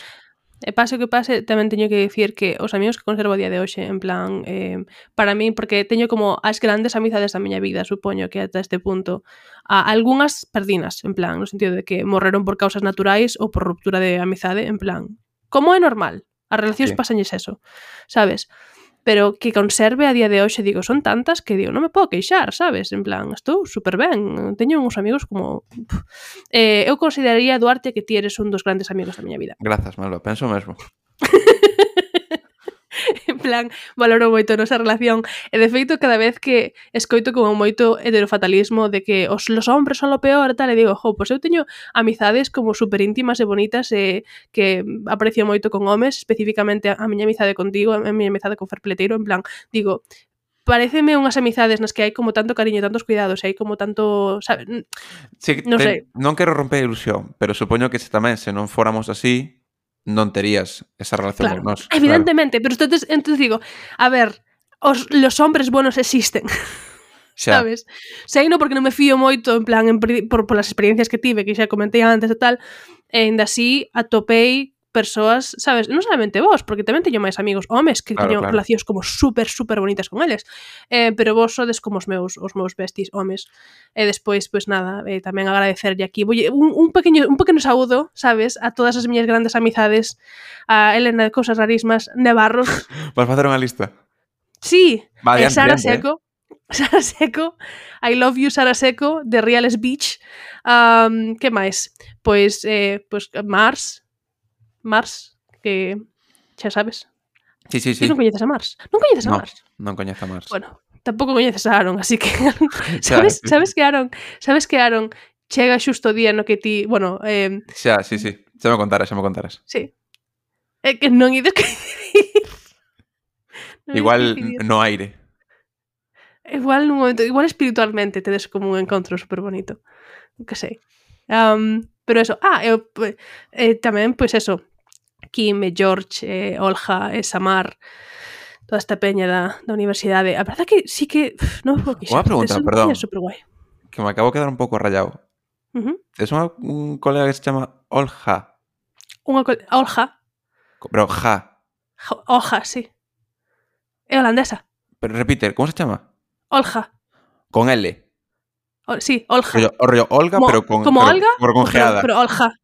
E pase o que pase, tamén teño que dicir que os amigos que conservo a día de hoxe, en plan, eh, para mí, porque teño como as grandes amizades da miña vida, supoño que ata este punto, a algunhas perdinas, en plan, no sentido de que morreron por causas naturais ou por ruptura de amizade, en plan, como é normal, as relacións Sí. pasanlles eso, sabes? Pero que conserve a día de hoxe, digo, son tantas que digo, non me podo queixar, sabes? En plan, estou super ben, teño uns amigos como... Pff. Eh, eu consideraría, Duarte, que ti eres un dos grandes amigos da miña vida. Grazas, Malva, penso mesmo. En plan, valoro moito a nosa relación e de feito cada vez que escoito como moito heterofatalismo de que os los hombres son lo peor e tal, e digo, jo, pois eu teño amizades como super íntimas e bonitas e que aprecio moito con homes, especificamente a, a miña amizade contigo, a miña amizade con Fer Peleteiro, en plan, digo, pareceme unhas amizades nas que hai como tanto cariño, tantos cuidados, e hai como tanto, sabe, Sí, non te, sei. non quero romper a ilusión, pero supoño que se tamén se non fóramos así, non terías esa relación Claro, con nós. evidentemente, pero entonces, entonces digo, a ver, os, los hombres buenos existen. Xa, Sabes? Seino porque non me fío moito, en plan, en, por, por as experiencias que tive, que xa comentei antes e tal, e ainda así atopei persoas, sabes, non solamente vos, porque tamén teño máis amigos homes que Claro, teño claro. relacións como super, super bonitas con eles, eh, pero vos sodes como os meus os meus besties homes. E despois, pois nada, eh, tamén agradecerlle aquí Voy, un, un pequeño un pequeno saúdo, sabes, a todas as miñas grandes amizades, a Elena de Cousas Rarísimas, Nevarros, vas facer unha lista. sí, Va, eh, adiante, Sara adiante, eh. Seco, Sara Seco, I love you Sara Seco, de Reales Beach. Um, que máis? Pois, eh, pois Mars, Mars, que xa sabes. Sí, sí, Ti sí. non coñeces a Mars? Non coñeces a No, Mars? non coñezo a Mars. Bueno, tampouco coñeces a Aaron, así que Xa, sabes, sí. sabes que Aaron, sabes que Aaron chega xusto o día no que ti, bueno, eh, Xa, sí, sí. Xa me contaras, xa me contaras. sí. É que non ides coincidir. Non ides Igual coincidir. no aire. Igual nun momento, igual espiritualmente tedes como un encontro super bonito. Que sei. Um, pero eso, ah, eu eh, tamén, pois eso, Kim, e George, eh, Olja, e Samar, toda esta peña da, da universidade. A verdade que sí que uf, non me podo queixar. Unha pregunta, Tes- perdón. é super guai. Que me acabo de quedar un pouco rayado. Uh -huh. Es unha, un colega que se chama Olja. Unha col... Olja. Pero ja. Jo- Olja, sí. É holandesa. Pero repite, como se chama? Olja. Con L. O, sí, Olja. Rollo, o rollo Olga, como, pero con como pero, Olga, pero con pero, geada. pero Olja.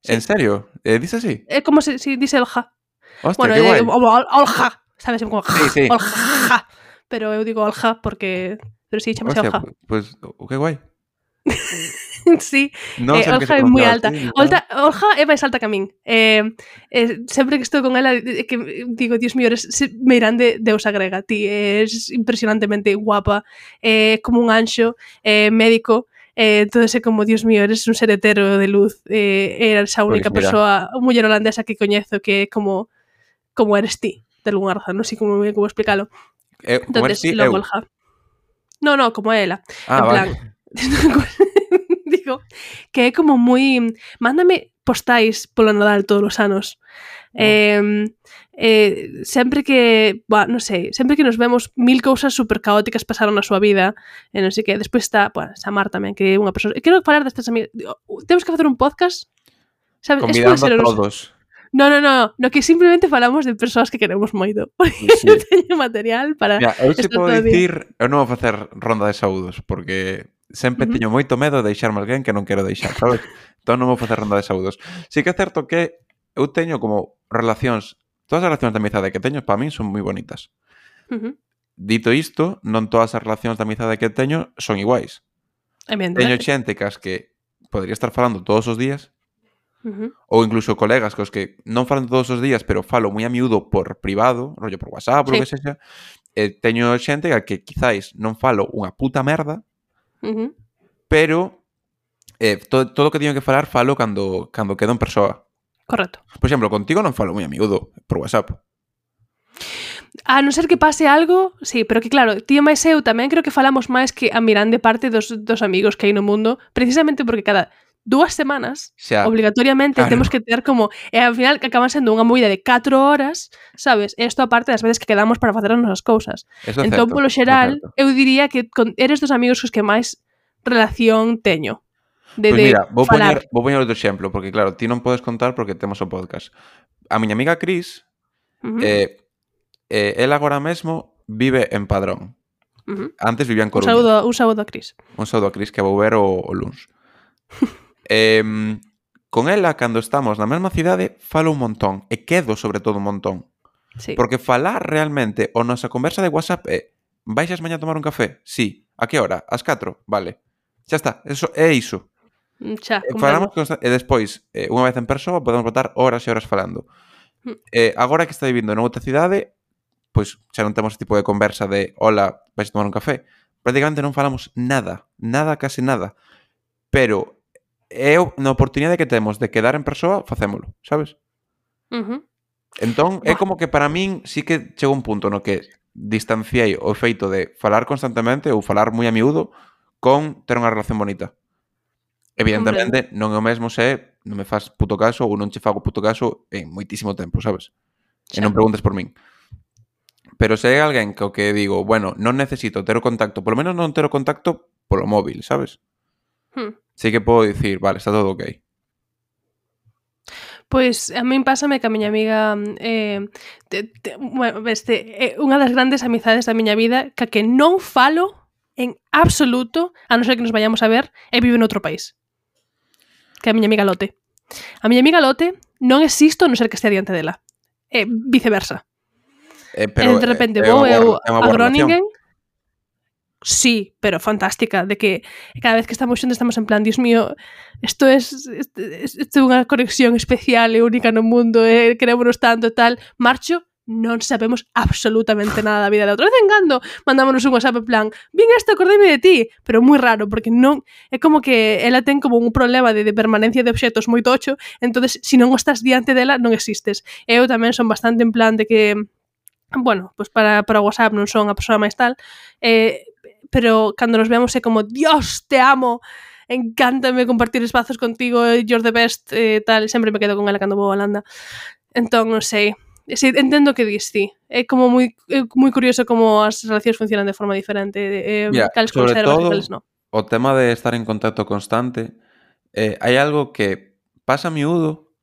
Sí. En serio? Eh, dice así? É como se si dice Olja. Hostia, Bueno, qué eh, guai. como Ol- Olja, sabes, como Sí, sí. Olja. Pero eu digo Olja porque pero sí, chamase Hostia, Olja. pues, pues, qué guai. Sí, No eh, sé por qué Olja se é moi pronunciaba alta. así, ni nada. Olta, Olja é máis alta que a min. Eh, eh, sempre que estou con ela, eh, que digo, Dios mío, eres meirán de deusa grega. Ti és impresionantemente guapa, eh, como un anxo, eh, médico, eh, todo ese como, Dios mío, eres un ser hetero de luz, eh, eres a única Pois mira. persoa, muller holandesa que coñezo que é como como eres ti, de algunha razón, non sei como, como explícalo. Eu, como eres Entonces, ti, lo eu. molja. No, no, como ela. Ah, En plan, vale. digo, que é como moi... Mándame postais polo Nadal todos os anos. Oh. Eh, eh, sempre que, bah, non sei, sempre que nos vemos mil cousas super caóticas pasaron na súa vida, e non sei que, despois está, bueno, Samar tamén, que é unha persoa, quero falar destas amigas, temos que facer un podcast, sabes, es pode Convidando ser a os... todos. No, no, no, no que simplemente falamos de persoas que queremos moito, porque Sí. teño material para Mira, eu se estar podo todo o día. dicir, eu non vou facer ronda de saúdos, porque sempre Ujú. teño moito medo de deixarme alguén que non quero deixar, sabes? Entón non vou facer ronda de saúdos. Sí que é certo que eu teño como relacións, todas as relacións de amizade que teño, para min son moi bonitas. Ujú. Dito isto, non todas as relacións de amizade que teño son iguais. Teño Evidentemente. xente cas que podría estar falando todos os días, Ujú. ou incluso colegas cos que non falan todos os días, pero falo moi a miúdo por privado, rollo por WhatsApp, Sí. o que sexa. E teño xente a que quizáis non falo unha puta merda, Ujú. pero eh, todo, todo o que teño que falar falo cando, cando quedo en persoa. Correcto. Por exemplo, contigo non falo moi a miúdo por WhatsApp. A non ser que pase algo, sí, pero que claro, tío máis eu tamén creo que falamos máis que a mirande parte dos, dos amigos que hai no mundo, precisamente porque cada dúas semanas, Xa, obligatoriamente, claro. temos que ter como, e ao final que acaban sendo unha movida de catro horas, sabes? Esto aparte das veces que quedamos para facer as nosas cousas. Eso é Entón, certo, polo eso é xeral, certo. eu diría que con, eres dos amigos cos que máis relación teño. De, Pois de mira, vou falar. poñer, vou poñer outro exemplo, porque claro, ti non podes contar porque temos o podcast. A miña amiga Cris, Uh -huh. eh, eh, ela agora mesmo vive en Padrón. Uh -huh. Antes vivía en Un Coruña. saúdo, un saúdo a Cris. Un saúdo a Cris que vou ver o, o luns. eh, con ela, cando estamos na mesma cidade, falo un montón. E quedo, sobre todo, un montón. Sí. Porque falar realmente, o nosa conversa de WhatsApp é baixas mañá a tomar un café? Sí. A que hora? As catro? Vale. Xa está. Eso é iso. Xa, E falamos consta- e despois, eh, unha vez en persoa, podemos botar horas e horas falando. Mm. Eh, agora que está vivindo noutra cidade, pois xa non temos ese tipo de conversa de hola, vais a tomar un café. Prácticamente non falamos nada, nada, case nada. Pero é na oportunidade que temos de quedar en persoa, facémolo, sabes? Uh -huh. Entón, é Buah. como que para min sí que chegou un punto no que distanciei o feito de falar constantemente ou falar moi a miúdo con ter unha relación bonita. Evidentemente, non é o mesmo se non me faz puto caso ou non che fago puto caso en moitísimo tempo, sabes? E Xa. non preguntes por min. Pero se é alguén que o que digo, bueno, non necesito ter o contacto, polo menos non ter o contacto polo móvil, sabes? Hmm. Sí que podo dicir, vale, está todo ok. Pois a min pásame que a miña amiga eh, te, te, bueno, este, eh, unha das grandes amizades da miña vida que a que non falo en absoluto, a non ser que nos vayamos a ver, e vive en outro país. Que é a miña amiga Lote. A miña amiga Lote non existo a non ser que estea diante dela. E viceversa. Eh, pero e de repente é, vou é eu boa, é unha a boa Groningen. relación. Sí, pero fantástica, de que cada vez que estamos xuntos estamos en plan, Dios mío, isto é isto é unha conexión especial e única no mundo, e querémonos tanto, tal. Marcho, non sabemos absolutamente nada da vida de outra vez en cando. Mandámonos un WhatsApp en plan, vin isto, acordeime de ti, pero moi raro, porque non é como que ela ten como un problema de, de permanencia de obxetos moi tocho, entonces se non estás diante dela, non existes. Eu tamén son bastante en plan de que, bueno, pues para, para WhatsApp non son a persoa máis tal, eh, pero cando nos vemos é como, Dios, te amo, encántame compartir espazos contigo, you're the best, eh, tal, sempre me quedo con ela cando vou a Holanda. Entón, non sei, sí, entendo que dis ti, é como moi, é moi curioso como as relacións funcionan de forma diferente, eh, Mira, cales sobre conservas todo, e cales non. o tema de estar en contacto constante, eh, hai algo que pasa a miúdo,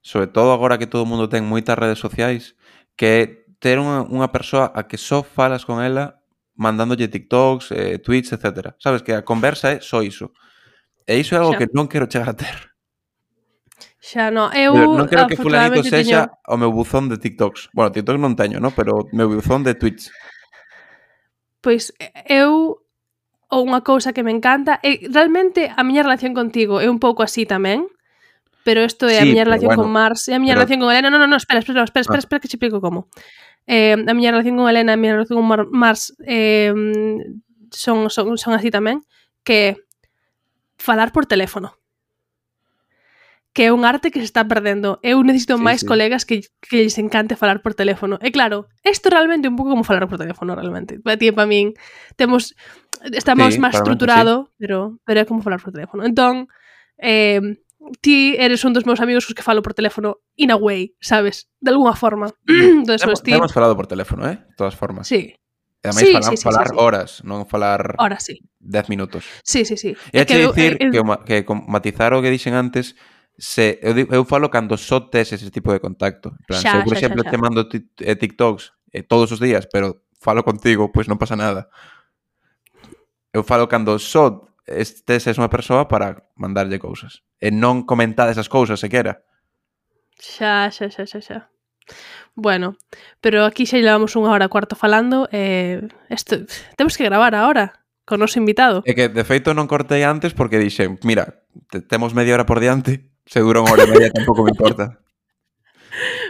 sobre todo agora que todo o mundo ten moitas redes sociais, que é ter unha, unha persoa a que só falas con ela mandándolle TikToks, eh, tweets, etcétera. Sabes que a conversa é só iso. E iso é algo Xa. que non quero chegar a ter. Xa, non, eu Pero non quero que fulanito afortunadamente sexa teño... o meu buzón de TikToks. Bueno, TikTok non teño, ¿no? Pero o meu buzón de tweets. Pois eu ou unha cousa que me encanta é realmente a miña relación contigo é un pouco así tamén, pero isto é Sí, a miña pero relación bueno, con Mars e a miña pero- relación con Elena. Non, non, non, espera, espera, espera, espera, Ah. espera que che explico como. Eh, a miña relación con Elena e a miña relación con Mar Mars eh, son, son, son así tamén, que falar por teléfono. Que é un arte que se está perdendo. Eu necesito Sí, máis sí. colegas que, que lles encante falar por teléfono. E claro, isto realmente é un pouco como falar por teléfono, realmente. Para ti e para min, temos, estamos Sí, máis realmente estruturado, pero, pero é como falar por teléfono. Entón, eh, ti eres un dos meus amigos cos que falo por teléfono in a way, sabes? De alguna forma. Entón, Hemos, pues, ti... hemos falado por teléfono, eh? De todas formas. Sí. E ademais Sí, falar, sí, sí, falar sí, sí. horas, non falar Ahora sí. dez minutos. Sí, sí, sí. E É che eu- dicir eu- que, o ma- que con matizar o que dixen antes, se eu, di- eu falo cando só tes ese tipo de contacto. En plan, se eu, Xa, por xa, xa, exemplo, xa. te mando ti- eh, TikToks eh, todos os días, pero falo contigo, pois non pasa nada. Eu falo cando só estes es unha persoa para mandarlle cousas. E non comentar esas cousas sequera. Xa, xa, xa, xa, xa. Bueno, pero aquí xa llevamos unha hora e cuarto falando. Eh, esto, temos que gravar ahora con o noso invitado. É que, de feito, non cortei antes porque dixen, mira, te, temos media hora por diante, se dura unha hora e media tampouco me importa.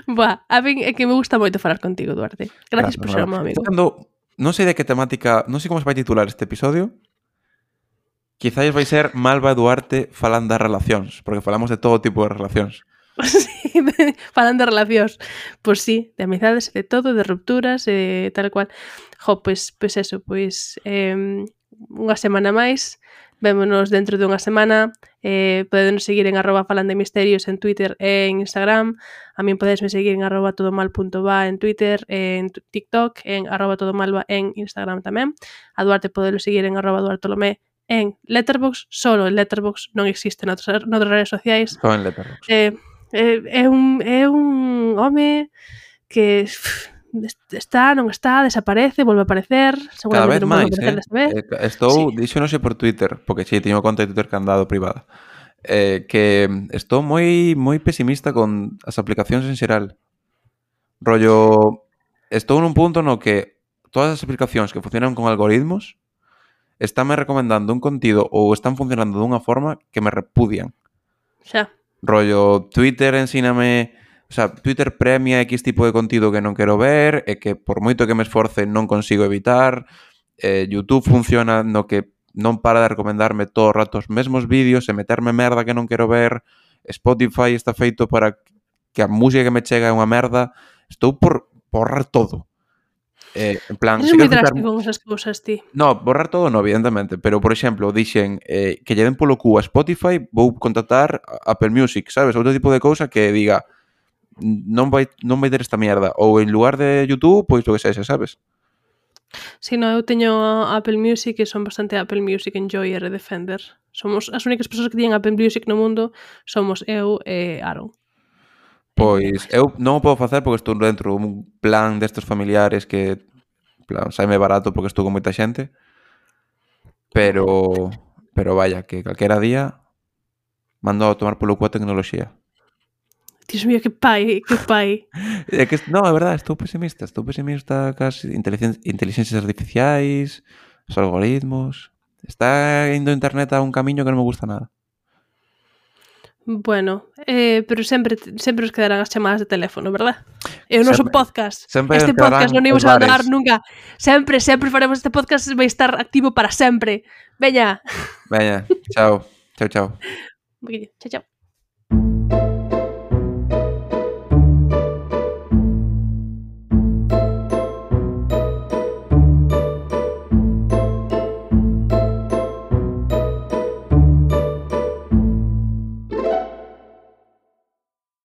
Buah, a min é que me gusta moito falar contigo, Duarte. Gracias Nada, por ser nada. o meu amigo. Cando, non sei de que temática, non sei como se vai titular este episodio. Quizás vai ser Malva e Duarte falando das relacións, porque falamos de todo tipo de relacións. Sí, de- falando de relacións. Pois sí, de amizades, de todo, de rupturas, e tal cual. Jo, pois, pois eso, pois eh, unha semana máis. Vémonos dentro dunha semana. Eh, podedenos seguir en arroba falandemisterios en Twitter e en Instagram. A min podesme seguir en arroba todomal.va en Twitter, en t- TikTok, en arroba todomalva en Instagram tamén. A Duarte podelo seguir en arroba duartolomé en Letterboxd. Solo en Letterboxd, non existe noutras, noutras redes sociais. Só en Letterboxd. Eh, eh, é un é un home que pff, está, non está, desaparece, volve a aparecer, Cada vez seguramente non volve a máis, aparecer eh? desta vez. eh estou, Sí. dixo non sei por Twitter, porque si, sí, teño conta de Twitter candado privada. Eh, que estou moi moi pesimista con as aplicacións en xeral. Rollo, estou nun punto no que todas as aplicacións que funcionan con algoritmos estánme recomendando un contido ou están funcionando dunha forma que me repudian. Xa. Rollo, Twitter ensíname... O sea, Twitter premia X tipo de contido que non quero ver e que por moito que me esforce non consigo evitar. Eh, YouTube funciona no que non para de recomendarme todo o rato os mesmos vídeos e meterme merda que non quero ver. Spotify está feito para que a música que me chega é unha merda. Estou por borrar todo. Eh, en plan, Eres se moi quero quitar... drástico con esas cousas, ti. No, borrar todo no, evidentemente, pero, por exemplo, dixen eh, que lle den polo cu a Spotify, vou contratar a Apple Music, sabes? Outro tipo de cousa que diga non vai, non vai ter esta mierda, ou en lugar de YouTube, pois lo que sexa, sabes? Si, no, eu teño Apple Music e son bastante Apple Music enjoyer e defender. Somos as únicas persoas que teñen Apple Music no mundo, somos eu e Aaron. Pois eu non o podo facer porque estou dentro dun plan destes familiares que, en plan, saime barato porque estou con moita xente, pero pero vaya, que calquera día mando a tomar polo cu a tecnoloxía. Dios mío, que pai, que pai. É que, non, é verdade, estou pesimista, estou pesimista cas inteligen inteligencias artificiais, os algoritmos. Está indo internet a un camiño que non me gusta nada. Bueno, eh, pero sempre sempre os quedarán as chamadas de teléfono, verdad? E o noso Sempre- podcast. sempre Este quedarán podcast non os imos abandonar bares. nunca. Sempre, sempre faremos este podcast, vai estar activo para sempre. Veña. Veña, chao, chao, chao. Chao, chao.